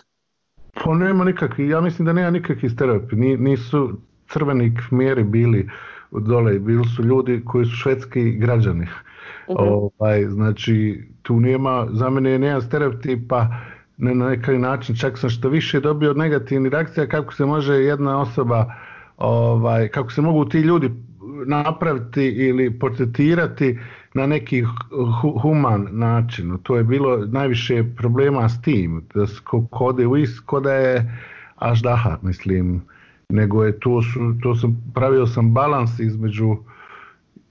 Pa nema nikakvi, ja mislim da nema nikakvi stereotipi, nisu crveni kmeri bili dole, bili su ljudi koji su švedski građani. Uh-huh. Ovaj, znači tu nema, za mene nema stereotipa, ne na neki način, čak sam što više dobio negativnih reakcija kako se može jedna osoba, ovaj, kako se mogu ti ljudi napraviti ili portretirati na neki human način. To je bilo najviše problema s tim, da kode u is, koda je aždaha, mislim. nego je to, su, to sam, pravio sam balans između,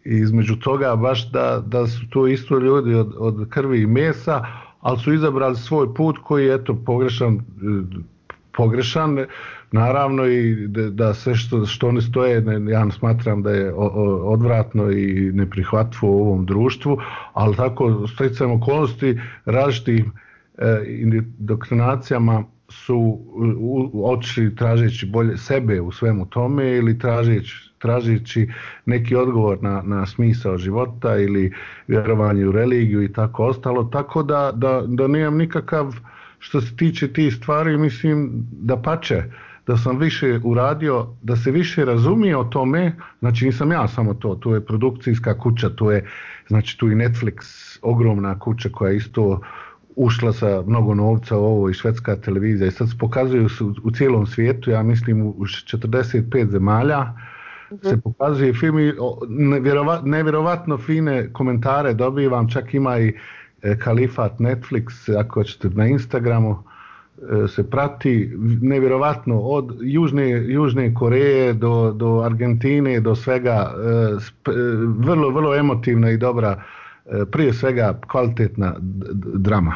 između toga baš da, da su to isto ljudi od, od krvi i mesa, ali su izabrali svoj put koji je eto pogrešan, pogrešan naravno i da, da sve što, što oni stoje, ne, ja smatram da je odvratno i neprihvatljivo u ovom društvu, ali tako sticajem okolnosti različitim e, indoktrinacijama su otišli tražeći bolje sebe u svemu tome ili tražeći, tražeći neki odgovor na, na smisao života ili vjerovanje u religiju i tako ostalo, tako da, da, da nemam nikakav, što se tiče tih stvari, mislim da pače, da sam više uradio, da se više razumije o tome, znači nisam ja samo to, tu je produkcijska kuća, tu je, znači tu i Netflix, ogromna kuća koja je isto ušla sa mnogo novca u ovo i švedska televizija i sad se pokazuju u, u cijelom svijetu, ja mislim u četrdeset pet zemalja mm-hmm. se pokazuje film i nevjerovat, nevjerovatno fine komentare dobivam, čak ima i e, Kalifat Netflix, ako ćete na Instagramu e, se prati, nevjerovatno od Južne, Južne Koreje do, do Argentine, do svega, e, sp, e, vrlo, vrlo emotivna i dobra, prije svega kvalitetna drama.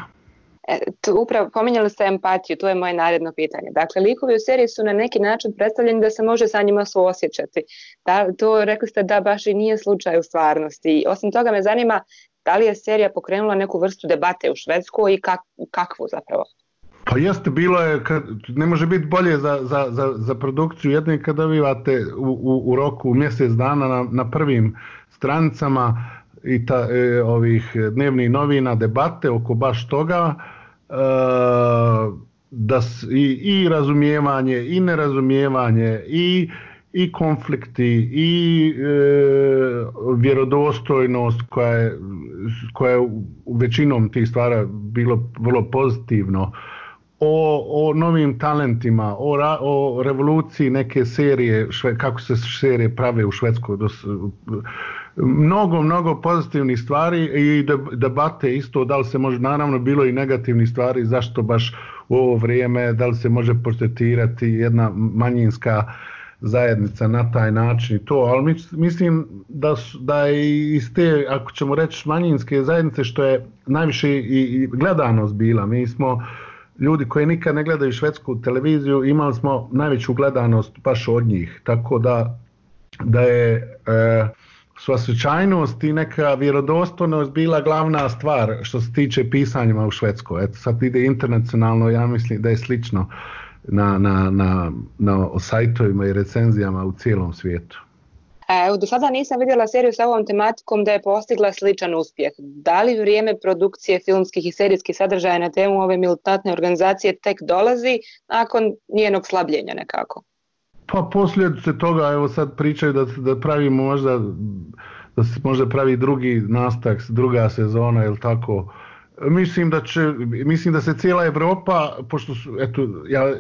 E, tu upravo pominjali ste empatiju, to je moje naredno pitanje. Dakle, likovi u seriji su na neki način predstavljeni da se može sa njima suosjećati. Da, to rekli ste da baš i nije slučaj u stvarnosti. Osim toga me zanima da li je serija pokrenula neku vrstu debate u Švedskoj i kak, kakvu zapravo? Pa jeste, bilo je, kad, ne može biti bolje za, za, za, za produkciju jedne kad dobivate u, u, u roku mjesec dana na, na prvim stranicama i ta, e, ovih dnevnih novina debate oko baš toga e, da s, i, i razumijevanje i nerazumijevanje i, i konflikti i e, vjerodostojnost koja je, koja je u većinom tih stvara bilo vrlo pozitivno, o, o novim talentima, o, ra, o revoluciji neke serije, šve, kako se serije prave u Švedskoj, dos, mnogo, mnogo pozitivnih stvari i debate isto, da li se može, naravno bilo i negativnih stvari, zašto baš u ovo vrijeme, da li se može portretirati jedna manjinska zajednica na taj način i to, ali mislim da, da je iz te, ako ćemo reći manjinske zajednice, što je najviše i, i gledanost bila, mi smo ljudi koji nikad ne gledaju švedsku televiziju, imali smo najveću gledanost baš od njih, tako da, da je e, suosjećajnost i neka vjerodostojnost bila glavna stvar što se tiče pisanjima u Švedskoj. Eto, sad ide internacionalno, ja mislim da je slično na, na, na, na sajtovima i recenzijama u cijelom svijetu. Evo, do sada nisam vidjela seriju sa ovom tematikom da je postigla sličan uspjeh. Da li vrijeme produkcije filmskih i serijskih sadržaja na temu ove militantne organizacije tek dolazi nakon njenog slabljenja nekako? Pa posljedice toga, evo sad pričaju da, da pravimo možda, da se možda pravi drugi nastavak, druga sezona ili tako. Mislim da će, mislim da se cijela Europa, pošto su, eto, ja,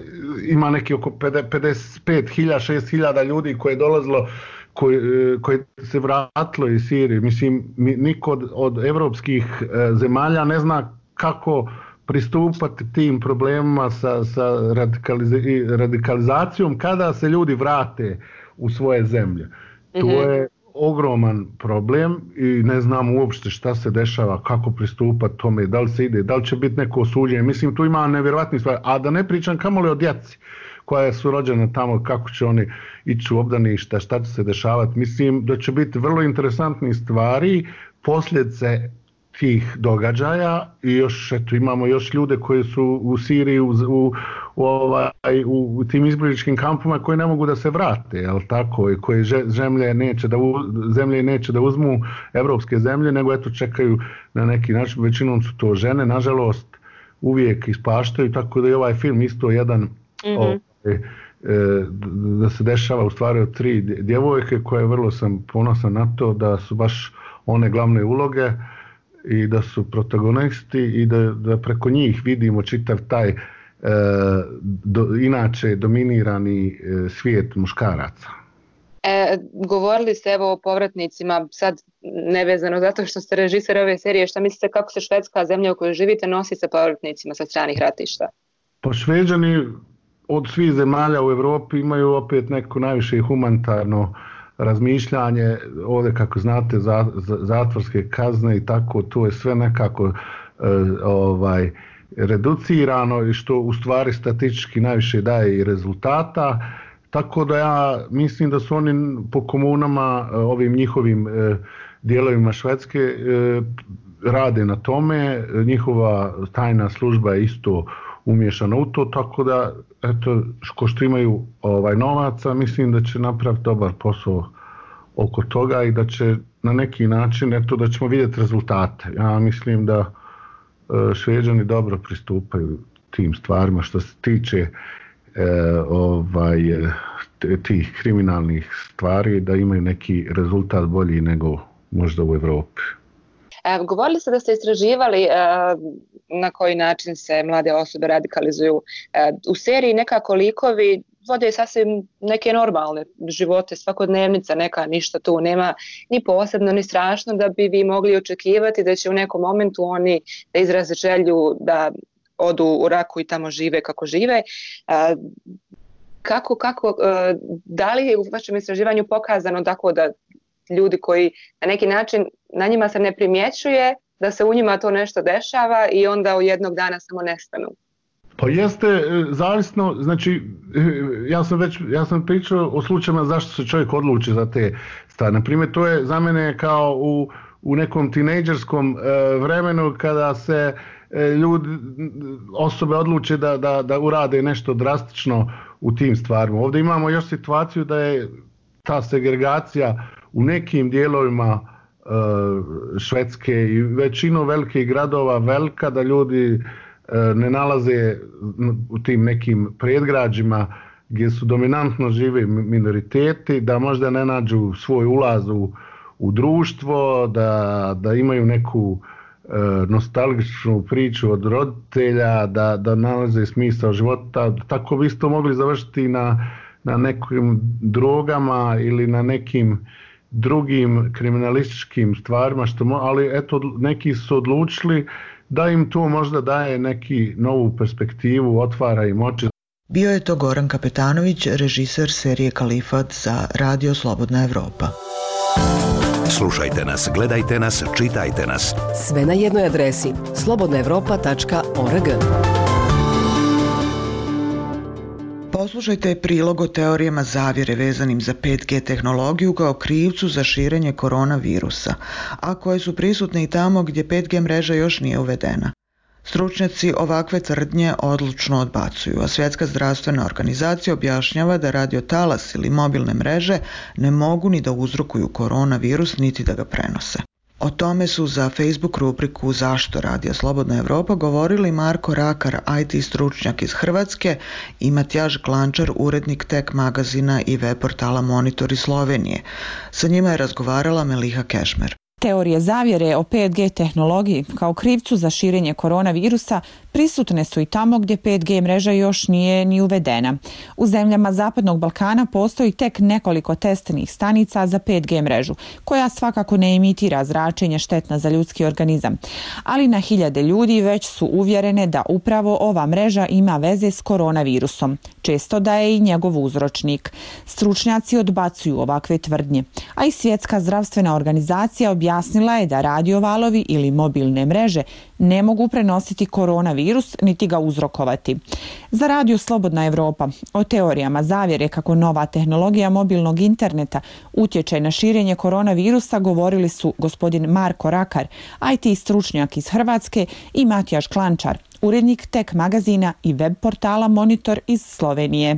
ima neki oko pedeset pet hiljada, šest hiljada ljudi koje je dolazilo, koji, koji se vratilo iz Sirije. Mislim, niko od, od evropskih zemalja ne zna kako pristupati tim problemima sa, sa radikaliz, radikalizacijom kada se ljudi vrate u svoje zemlje. Mm-hmm. To je ogroman problem i ne znam uopšte šta se dešava, kako pristupati tome, da li se ide, da li će biti neko osuđenje. Mislim, tu ima nevjerojatnih stvari, a da ne pričam kamoli o djeci koja su rođena tamo, kako će oni ići u obdaništa, šta će se dešavati. Mislim da će biti vrlo interesantnih stvari, posljedice tih događaja i još eto, imamo još ljude koji su u Siriji u, u, u, ovaj, u, u tim izbjegličkim kampovima koji ne mogu da se vrate, jel tako, i koji zemlje neće da, zemlje neće da uzmu evropske zemlje, nego eto čekaju na neki način, većinom su to žene, nažalost uvijek ispaštaju, tako da je ovaj film isto jedan mm-hmm. ovaj, da se dešava u stvari od tri djevojke koje vrlo sam ponosan na to da su baš one glavne uloge i da su protagonisti i da, da preko njih vidimo čitav taj e, do, inače dominirani e, svijet muškaraca. E, govorili ste evo o povratnicima, sad nevezano zato što ste režiser ove serije, šta mislite kako se Švedska, zemlja u kojoj živite, nosi sa povratnicima sa stranih ratišta? Pa Šveđani od svih zemalja u Europi imaju opet neko najviše humanitarno razmišljanje, ovdje kako znate za, za, zatvorske kazne i tako, to je sve nekako e, ovaj, reducirano i što u stvari statistički najviše daje i rezultata, tako da ja mislim da su oni po komunama, ovim njihovim e, dijelovima Švedske e, rade na tome, njihova tajna služba je isto umješana u to, tako da eto, ko što imaju ovaj, novaca, mislim da će napraviti dobar posao oko toga i da će na neki način, eto, da ćemo vidjeti rezultate. Ja mislim da e, Šveđani dobro pristupaju tim stvarima što se tiče e, ovaj, tih kriminalnih stvari, da imaju neki rezultat bolji nego možda u Europi. E, govorili ste da ste istraživali e, na koji način se mlade osobe radikalizuju. E, u seriji nekako likovi vode sasvim neke normalne živote, svakodnevnica, neka ništa tu nema ni posebno ni strašno da bi vi mogli očekivati da će u nekom momentu oni da izraze želju da odu u Raku i tamo žive kako žive. E, kako, kako, e, da li je u vašem istraživanju pokazano tako da ljudi koji na neki način na njima se ne primjećuje da se u njima to nešto dešava i onda u jednog dana samo nestanu? Pa jeste, zavisno, znači ja sam već, ja sam pričao o slučajima zašto se čovjek odluči za te stvari. Naprimjer, to je za mene kao u, u nekom tinejdžerskom e, vremenu kada se e, ljudi, osobe odluče da, da, da urade nešto drastično u tim stvarima. Ovdje imamo još situaciju da je ta segregacija u nekim dijelovima e, Švedske i većinu velikih gradova velika, da ljudi ne nalaze u tim nekim predgrađima gdje su dominantno žive minoriteti, da možda ne nađu svoj ulaz u, u društvo, da, da imaju neku e, nostalgičnu priču od roditelja, da, da nalaze smisao života. Tako bi isto mogli završiti na, na nekim drogama ili na nekim drugim kriminalističkim stvarima, što mo, ali eto, neki su odlučili da im to možda daje neki novu perspektivu, otvara im oči. Bio je to Goran Kapetanović, režiser serije Kalifat za Radio Slobodna Evropa. Slušajte nas, gledajte nas, čitajte nas. Sve na jednoj adresi slobodna evropa tačka org. Poslušajte prilog o teorijama zavjere vezanim za pet G tehnologiju kao krivcu za širenje koronavirusa, a koje su prisutne i tamo gdje pet G mreža još nije uvedena. Stručnjaci ovakve tvrdnje odlučno odbacuju, a Svjetska zdravstvena organizacija objašnjava da radiotalas ili mobilne mreže ne mogu ni da uzrokuju koronavirus niti da ga prenose. O tome su za Facebook rubriku Zašto Radija Slobodna Evropa govorili Marko Rakar, I T stručnjak iz Hrvatske, i Matjaž Klančar, urednik Tech magazina i web portala Monitor iz Slovenije. Sa njima je razgovarala Meliha Kešmer. Teorije zavjere o pet G tehnologiji kao krivcu za širenje koronavirusa prisutne su i tamo gdje pet G mreža još nije ni uvedena. U zemljama Zapadnog Balkana postoji tek nekoliko testnih stanica za pet G mrežu, koja svakako ne emitira zračenje štetna za ljudski organizam. Ali na hiljade ljudi već su uvjerene da upravo ova mreža ima veze s koronavirusom, često da je i njegov uzročnik. Stručnjaci odbacuju ovakve tvrdnje, a i Svjetska zdravstvena organizacija objasnila je da radiovalovi ili mobilne mreže ne mogu prenositi koronavirus niti ga uzrokovati. Za Radio Slobodna Evropa o teorijama zavjere kako nova tehnologija mobilnog interneta utječe na širenje koronavirusa govorili su gospodin Marko Rakar, I T stručnjak iz Hrvatske, i Matjaž Klančar, urednik Tech magazina i web portala Monitor iz Slovenije.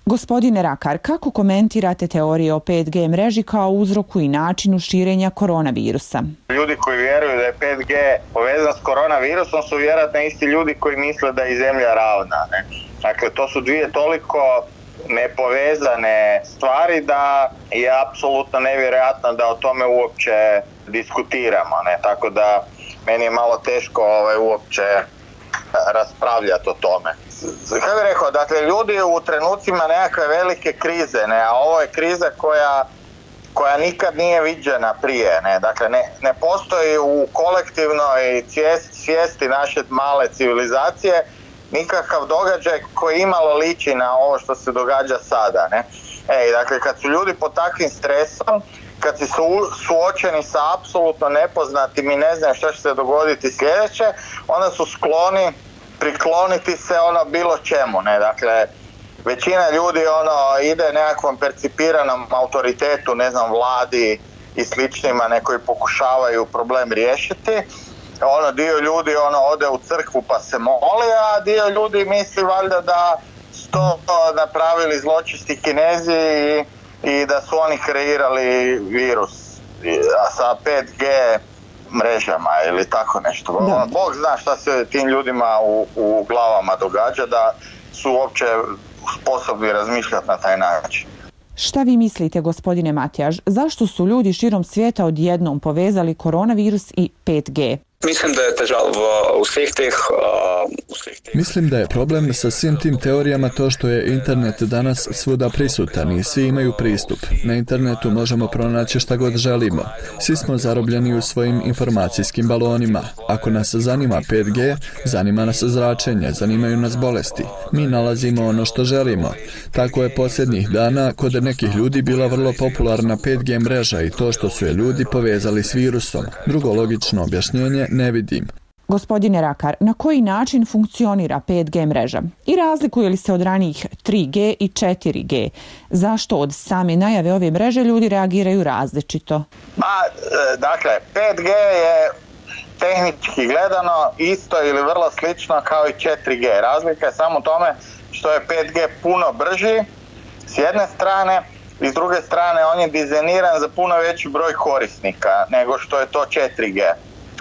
Gospodine Rakar, kako komentirate teorije o pet G mreži kao uzroku i načinu širenja koronavirusa? Ljudi koji vjeruju da je pet G povezan s koronavirusom su vjerojatno isti ljudi koji misle da je Zemlja ravna. Ne? Dakle, to su dvije toliko nepovezane stvari da je apsolutno nevjerojatno da o tome uopće diskutiramo. Ne? Tako da meni je malo teško ovaj, uopće raspravljati o tome. Kako bih rekao, dakle, ljudi u trenucima nekakve velike krize, ne, a ovo je kriza koja, koja nikad nije viđena prije, ne, dakle, ne, ne postoji u kolektivnoj svijesti naše male civilizacije nikakav događaj koji imalo liči na ovo što se događa sada, ne. Ej, dakle, kad su ljudi pod takvim stresom, kad si su suočeni sa apsolutno nepoznatim i ne znaju što će se dogoditi sljedeće, onda su skloni prikloniti se ono bilo čemu, ne, dakle, većina ljudi ono ide nekakvom percipiranom autoritetu, ne znam, vladi i sličnima, ne, koji pokušavaju problem riješiti. Ono, dio ljudi ono ode u crkvu pa se moli, a dio ljudi misli valjda da su to napravili zločesti Kinezi i, i da su oni kreirali virus a sa pet G mrežama ili tako nešto. Da. Bog zna šta se tim ljudima u, u glavama događa, da su uopće sposobni razmišljati na taj način. Šta vi mislite, gospodine Matjaž, zašto su ljudi širom svijeta odjednom povezali koronavirus i pet G? Mislim da je težava v vseh teh... Uh, vseh teh. Mislim da je problem sa svim tim teorijama to što je internet danas svuda prisutan i svi imaju pristup. Na internetu možemo pronaći šta god želimo. Svi smo zarobljeni u svojim informacijskim balonima. Ako nas zanima pet G, zanima nas zračenje, zanimaju nas bolesti. Mi nalazimo ono što želimo. Tako je posljednjih dana kod nekih ljudi bila vrlo popularna pet G mreža i to što su je ljudi povezali s virusom. Drugo logično objašnjenje ne vidim. Gospodine Rakar, na koji način funkcionira pet G mreža? I razlikuje li se od ranijih tri G i četiri G? Zašto od same najave ove mreže ljudi reagiraju različito? Ma, dakle, pet G je tehnički gledano isto ili vrlo slično kao i četiri G. Razlika je samo u tome što je pet G puno brži s jedne strane i s druge strane on je dizajniran za puno veći broj korisnika nego što je to četiri G.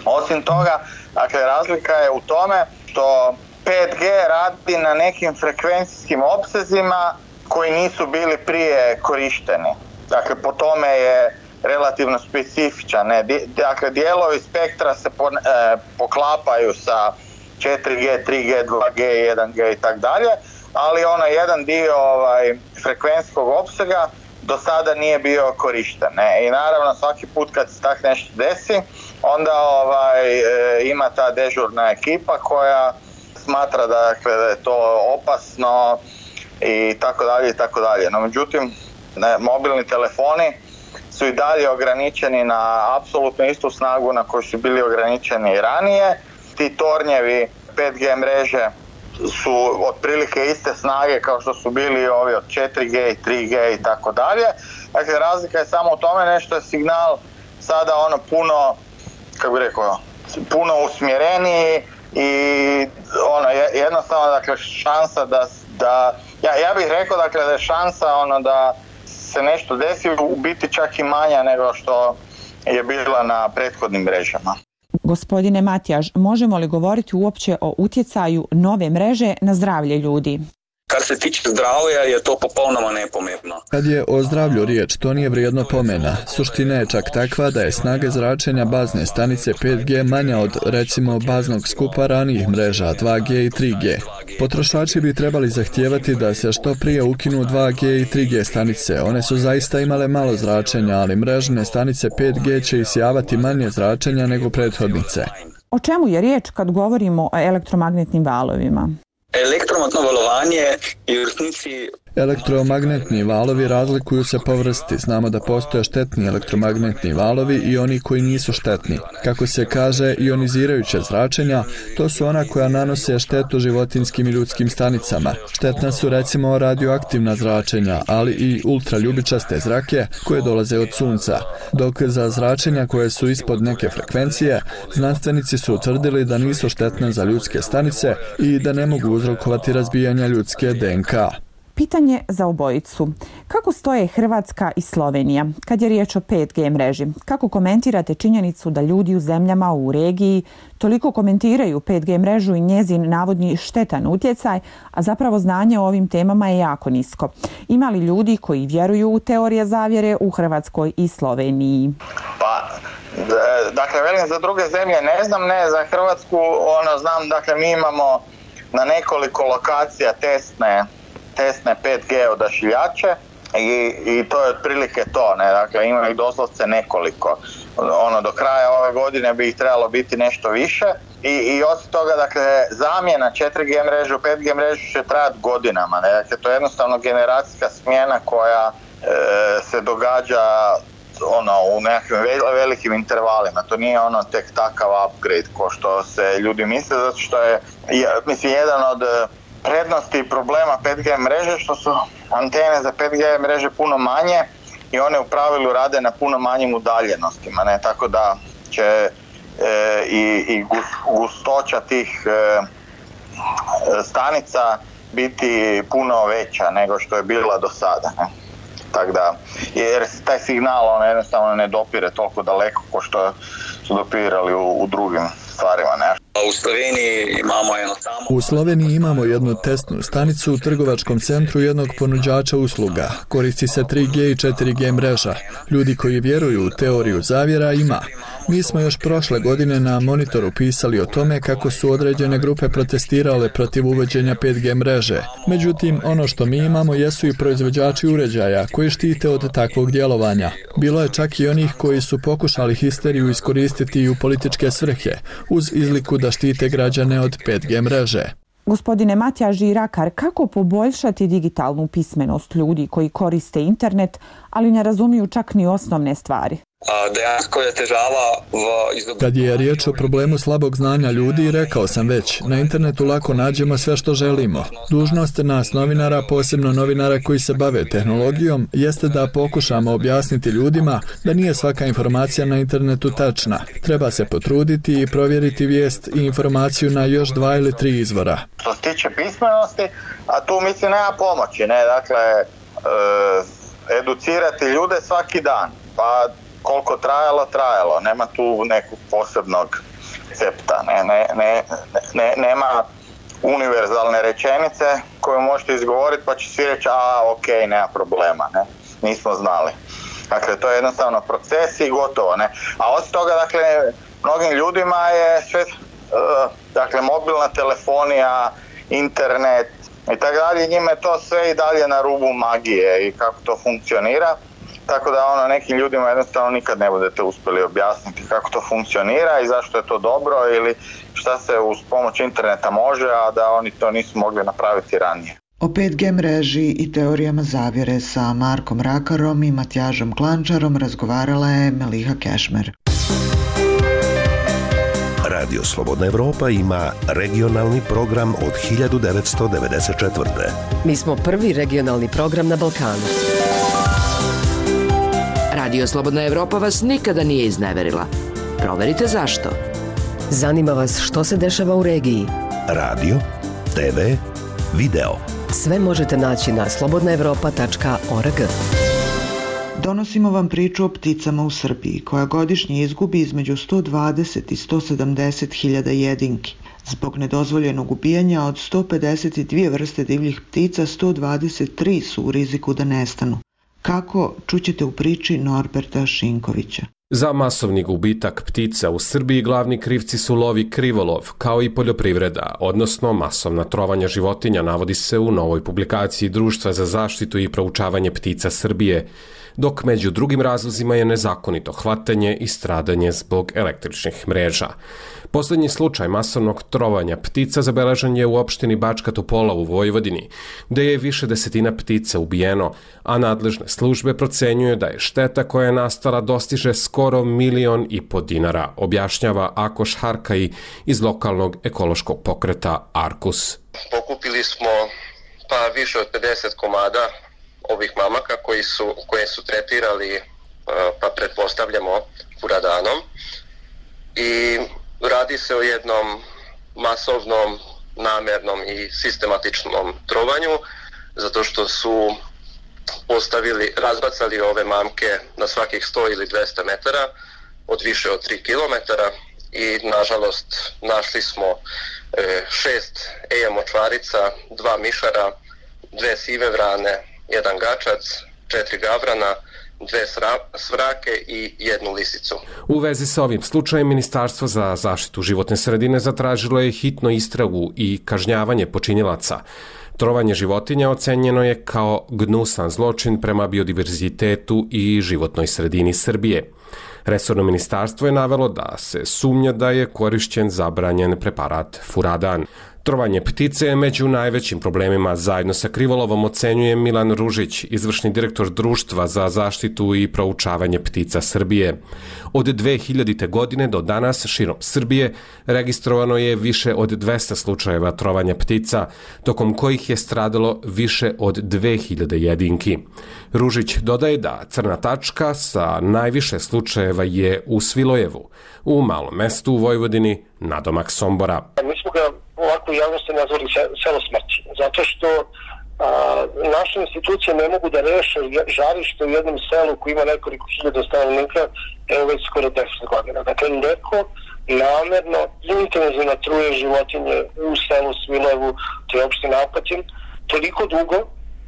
Osim toga, dakle, razlika je u tome što pet G radi na nekim frekvencijskim opsezima koji nisu bili prije korišteni. Dakle, po tome je relativno specifičan. Ne? Dakle, dijelovi spektra se po, e, poklapaju sa četiri G, tri G, dva G, jedan G i tako dalje, ali ono jedan dio ovaj, frekvencijskog opsega do sada nije bio korišten. Ne? I naravno svaki put kad se tak nešto desi, onda ovaj, e, ima ta dežurna ekipa koja smatra da, dakle, da je to opasno i tako dalje i tako dalje. No međutim, ne, mobilni telefoni su i dalje ograničeni na apsolutno istu snagu na koju su bili ograničeni i ranije. Ti tornjevi pet G mreže su otprilike iste snage kao što su bili ovi od četiri G i tri G i tako dalje. Dakle, razlika je samo u tome nešto je signal sada ono puno, kako bih rekao, puno usmjereniji i ono jednostavno, dakle, šansa da, da ja, ja bih rekao, dakle, da je šansa ono da se nešto desi u biti čak i manja nego što je bila na prethodnim mrežama. Gospodine Matjaž, možemo li govoriti uopće o utjecaju nove mreže na zdravlje ljudi? Kar se tiče zdravlja je to popolnoma nepomembno. Kad je o zdravlju riječ, to nije vrijedno pomena. Suština je čak takva da je snaga zračenja bazne stanice pet G manja od, recimo, baznog skupa ranijih mreža dva G i tri G. Potrošači bi trebali zahtijevati da se što prije ukinu dva G i tri G stanice. One su zaista imale malo zračenja, ali mrežne stanice pet G će isijavati manje zračenja nego prethodnice. O čemu je riječ kad govorimo o elektromagnetnim valovima? Elektromagnetno valovanje je u resnici... Elektromagnetni valovi razlikuju se po vrsti. Znamo da postoje štetni elektromagnetni valovi i oni koji nisu štetni. Kako se kaže, ionizirajuća zračenja, to su ona koja nanose štetu životinjskim i ljudskim stanicama. Štetna su recimo radioaktivna zračenja, ali i ultraljubičaste zrake koje dolaze od sunca. Dok za zračenja koje su ispod neke frekvencije, znanstvenici su utvrdili da nisu štetne za ljudske stanice i da ne mogu uzrokovati razbijanja ljudske D N K. Pitanje za obojicu. Kako stoje Hrvatska i Slovenija kad je riječ o pet G mreži? Kako komentirate činjenicu da ljudi u zemljama u regiji toliko komentiraju pet G mrežu i njezin navodni štetan utjecaj, a zapravo znanje o ovim temama je jako nisko? Ima li ljudi koji vjeruju u teorije zavjere u Hrvatskoj i Sloveniji? Pa, dakle, velim za druge zemlje ne znam, ne za Hrvatsku, ono znam, dakle mi imamo na nekoliko lokacija testne testne pet G odašiljače i, i to je otprilike to, ne, dakle ima ih doslovce nekoliko. Ono, do kraja ove godine bi ih trebalo biti nešto više I, i osim toga, dakle, zamjena četiri G mreže u pet G mrežu će trajati godinama. Ne? Dakle, to je jednostavno generacijska smjena koja e, se događa ono, u nekakvim velikim intervalima. To nije ono tek takav upgrade ko što se ljudi misle, zato što je, mislim, jedan od prednosti i problema pet G mreže što su antene za pet G mreže puno manje i one u pravilu rade na puno manjim udaljenostima, ne? Tako da će e, i, i gustoća tih e, stanica biti puno veća nego što je bila do sada, ne? Tako da, jer taj signal on jednostavno ne dopire toliko daleko kao što su dopirali u, u drugim stvarima, ne? U Sloveniji imamo jedno samo... U Sloveniji imamo jednu testnu stanicu u trgovačkom centru jednog ponuđača usluga. Koristi se tri G i četiri G mreža. Ljudi koji vjeruju u teoriju zavjera ima. Mi smo još prošle godine na monitoru pisali o tome kako su određene grupe protestirale protiv uvođenja pet G mreže. Međutim, ono što mi imamo jesu i proizvođači uređaja koji štite od takvog djelovanja. Bilo je čak i onih koji su pokušali histeriju iskoristiti i u političke svrhe, uz izliku da štite građane od pet G mreže. Gospodine Matija Žirakar, kako poboljšati digitalnu pismenost ljudi koji koriste internet, ali ne razumiju čak ni osnovne stvari? Dejansko je težava v izobraževanju. Kad je riječ o problemu slabog znanja ljudi, rekao sam već, na internetu lako nađemo sve što želimo. Dužnost nas novinara, posebno novinara koji se bave tehnologijom, jeste da pokušamo objasniti ljudima da nije svaka informacija na internetu tačna. Treba se potruditi i provjeriti vijest i informaciju na još dva ili tri izvora. Što se tiče pismenosti, a tu mislim nema pomoći, ne, dakle, e, educirati ljude svaki dan, pa koliko trajalo, trajalo. Nema tu nekog posebnog recepta. Ne, ne, ne, ne, nema univerzalne rečenice koju možete izgovoriti pa će svi reći a ok, nema problema. Ne? Nismo znali. Dakle, to je jednostavno proces i gotovo. Ne? A osim toga, dakle, mnogim ljudima je sve, uh, dakle, mobilna telefonija, internet i tako dalje, njima je to sve i dalje na rubu magije i kako to funkcionira. Tako da ono, nekim ljudima jednostavno nikad ne budete uspjeli objasniti kako to funkcionira i zašto je to dobro ili šta se uz pomoć interneta može, a da oni to nisu mogli napraviti ranije. O pet G mreži i teorijama zavjere sa Markom Rakarom i Matjažom Klančarom razgovarala je Meliha Kešmer. Radio Slobodna Evropa ima regionalni program od hiljadu devetsto devedeset četvrte. Mi smo prvi regionalni program na Balkanu. Radio Slobodna Evropa vas nikada nije izneverila. Proverite zašto. Zanima vas što se dešava u regiji. Radio, te ve, video. Sve možete naći na slobodna evropa tačka org. Donosimo vam priču o pticama u Srbiji, koja godišnje izgubi između sto dvadeset i sto sedamdeset hiljada jedinki. Zbog nedozvoljenog ubijanja od sto pedeset dvije vrste divljih ptica, sto dvadeset tri su u riziku da nestanu. Kako, čućete u priči Norberta Šinkovića. Za masovni gubitak ptica u Srbiji glavni krivci su lov i krivolov, kao i poljoprivreda, odnosno masovna trovanja životinja, navodi se u novoj publikaciji Društva za zaštitu i proučavanje ptica Srbije, dok među drugim razlozima je nezakonito hvatanje i stradanje zbog električnih mreža. Poslednji slučaj masovnog trovanja ptica zabeležen je u opštini Bačka Topola u Vojvodini, gde je više desetina ptica ubijeno, a nadležne službe procenjuju da je šteta koja je nastala dostiže skoro milion i po dinara, objašnjava Akoš Harkaji iz lokalnog ekološkog pokreta Arkus. Pokupili smo pa više od pedeset komada ovih mamaka koji su, koje su tretirali, pa pretpostavljamo, furadanom. I radi se o jednom masovnom, namernom i sistematičnom trovanju, zato što su postavili, razbacali ove mamke na svakih sto ili dvesta metara od više od tri kilometara i nažalost našli smo šest eja močvarica, dva mišara, dve sive vrane, jedan gačac, četiri gavrana, dve svrake i jednu lisicu. U vezi sa ovim slučajem Ministarstvo za zaštitu životne sredine zatražilo je hitno istragu i kažnjavanje počinjelaca. Trovanje životinja ocenjeno je kao gnusan zločin prema biodiverzitetu i životnoj sredini Srbije. Resorno ministarstvo je navelo da se sumnja da je korišćen zabranjen preparat furadan. Trovanje ptice je među najvećim problemima zajedno sa krivolovom, ocenjuje Milan Ružić, izvršni direktor Društva za zaštitu i proučavanje ptica Srbije. Od dve hiljadite. godine do danas širom Srbije registrovano je više od dvesta slučajeva trovanja ptica, tokom kojih je stradalo više od dve hiljade jedinki. Ružić dodaje da crna tačka sa najviše slučajeva je u Svilojevu, u malom mestu u Vojvodini, nadomak Sombora. Mi smo ga ovako u javnosti nazvali selo smrći, zato što a, naše institucije ne mogu da reše žarište u jednom selu koji ima nekoliko hiljada stanovnika, evo već skoro deset godina. Dakle, neko namerno intenzivno truje životinje u selu Svilojevu, to je opština Apatin, toliko dugo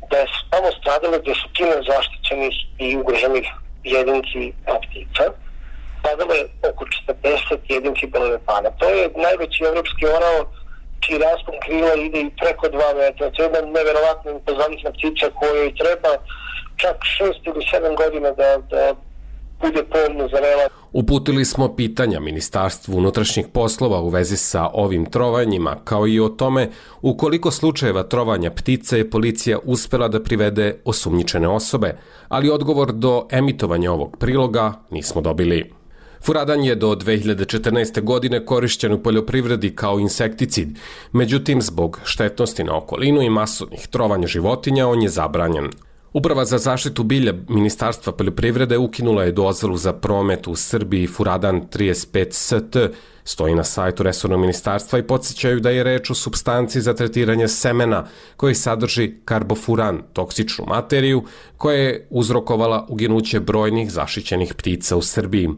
da je samo stradale desetine zaštićenih i ugroženih jedinki ptica. Stradale oko četrdeset jedinki belolepana. To je najveći evropski orao čiji raspon krila ide i preko dva metra. To je jedna neverovatna impozantna ptica kojoj treba čak šest ili sedam godina da, da bude pomno zarela. Uputili smo pitanja Ministarstvu unutrašnjih poslova u vezi sa ovim trovanjima, kao i o tome u koliko slučajeva trovanja ptice je policija uspela da privede osumnjičene osobe, ali odgovor do emitovanja ovog priloga nismo dobili. Furadan je do dve hiljade četrnaeste. godine korišćen u poljoprivredi kao insekticid, međutim zbog štetnosti na okolinu i masovnih trovanja životinja on je zabranjen. Uprava za zaštitu bilja Ministarstva poljoprivrede ukinula je dozvolu za promet u Srbiji Furadan trideset pet S T, stoji na sajtu resornog ministarstva i podsjećaju da je reč o supstanci za tretiranje semena koji sadrži karbofuran, toksičnu materiju koja je uzrokovala uginuće brojnih zaštićenih ptica u Srbiji.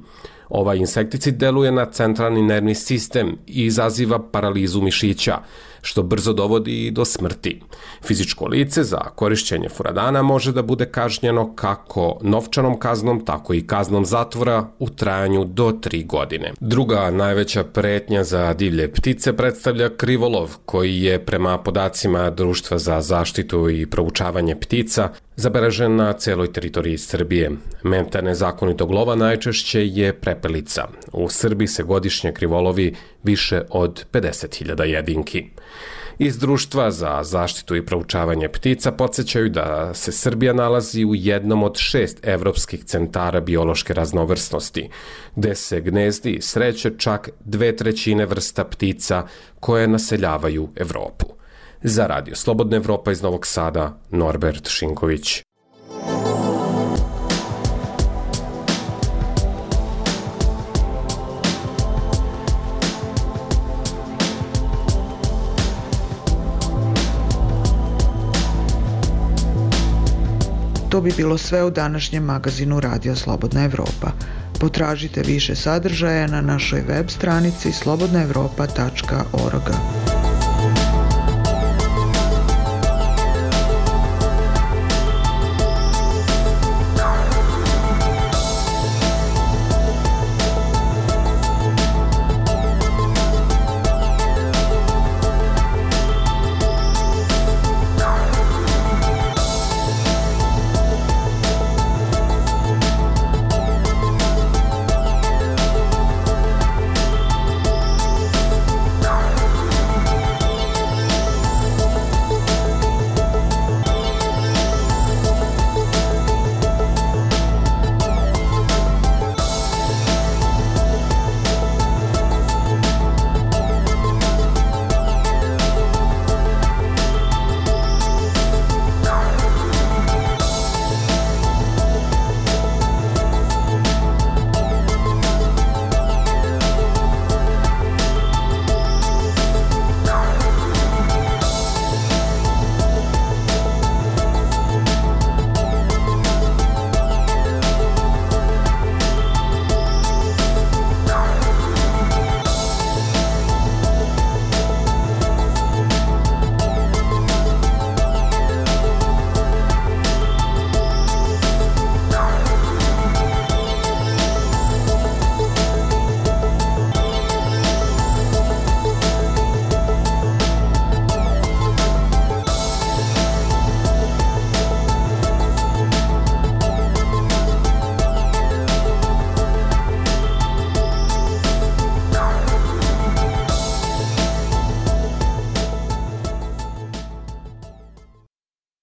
Ovaj insekticid deluje na centralni nervni sistem i izaziva paralizu mišića, što brzo dovodi i do smrti. Fizičko lice za korišćenje furadana može da bude kažnjeno kako novčanom kaznom, tako i kaznom zatvora u trajanju do tri godine. Druga najveća pretnja za divlje ptice predstavlja krivolov, koji je prema podacima Društva za zaštitu i proučavanje ptica zabeležen na celoj teritoriji Srbije. Meta nezakonitog lova najčešće je prepelica. U Srbiji se godišnje krivolovi više od pedeset hiljada jedinki. Iz Društva za zaštitu i proučavanje ptica podsjećaju da se Srbija nalazi u jednom od šest evropskih centara biološke raznovrsnosti, gde se gnezdi i sreće čak dve trećine vrsta ptica koje naseljavaju Evropu. Za Radio Slobodna Evropa iz Novog Sada, Norbert Šinković. To bi bilo sve u današnjem magazinu Radio Slobodna Evropa. Potražite više sadržaja na našoj web stranici slobodna evropa tačka org.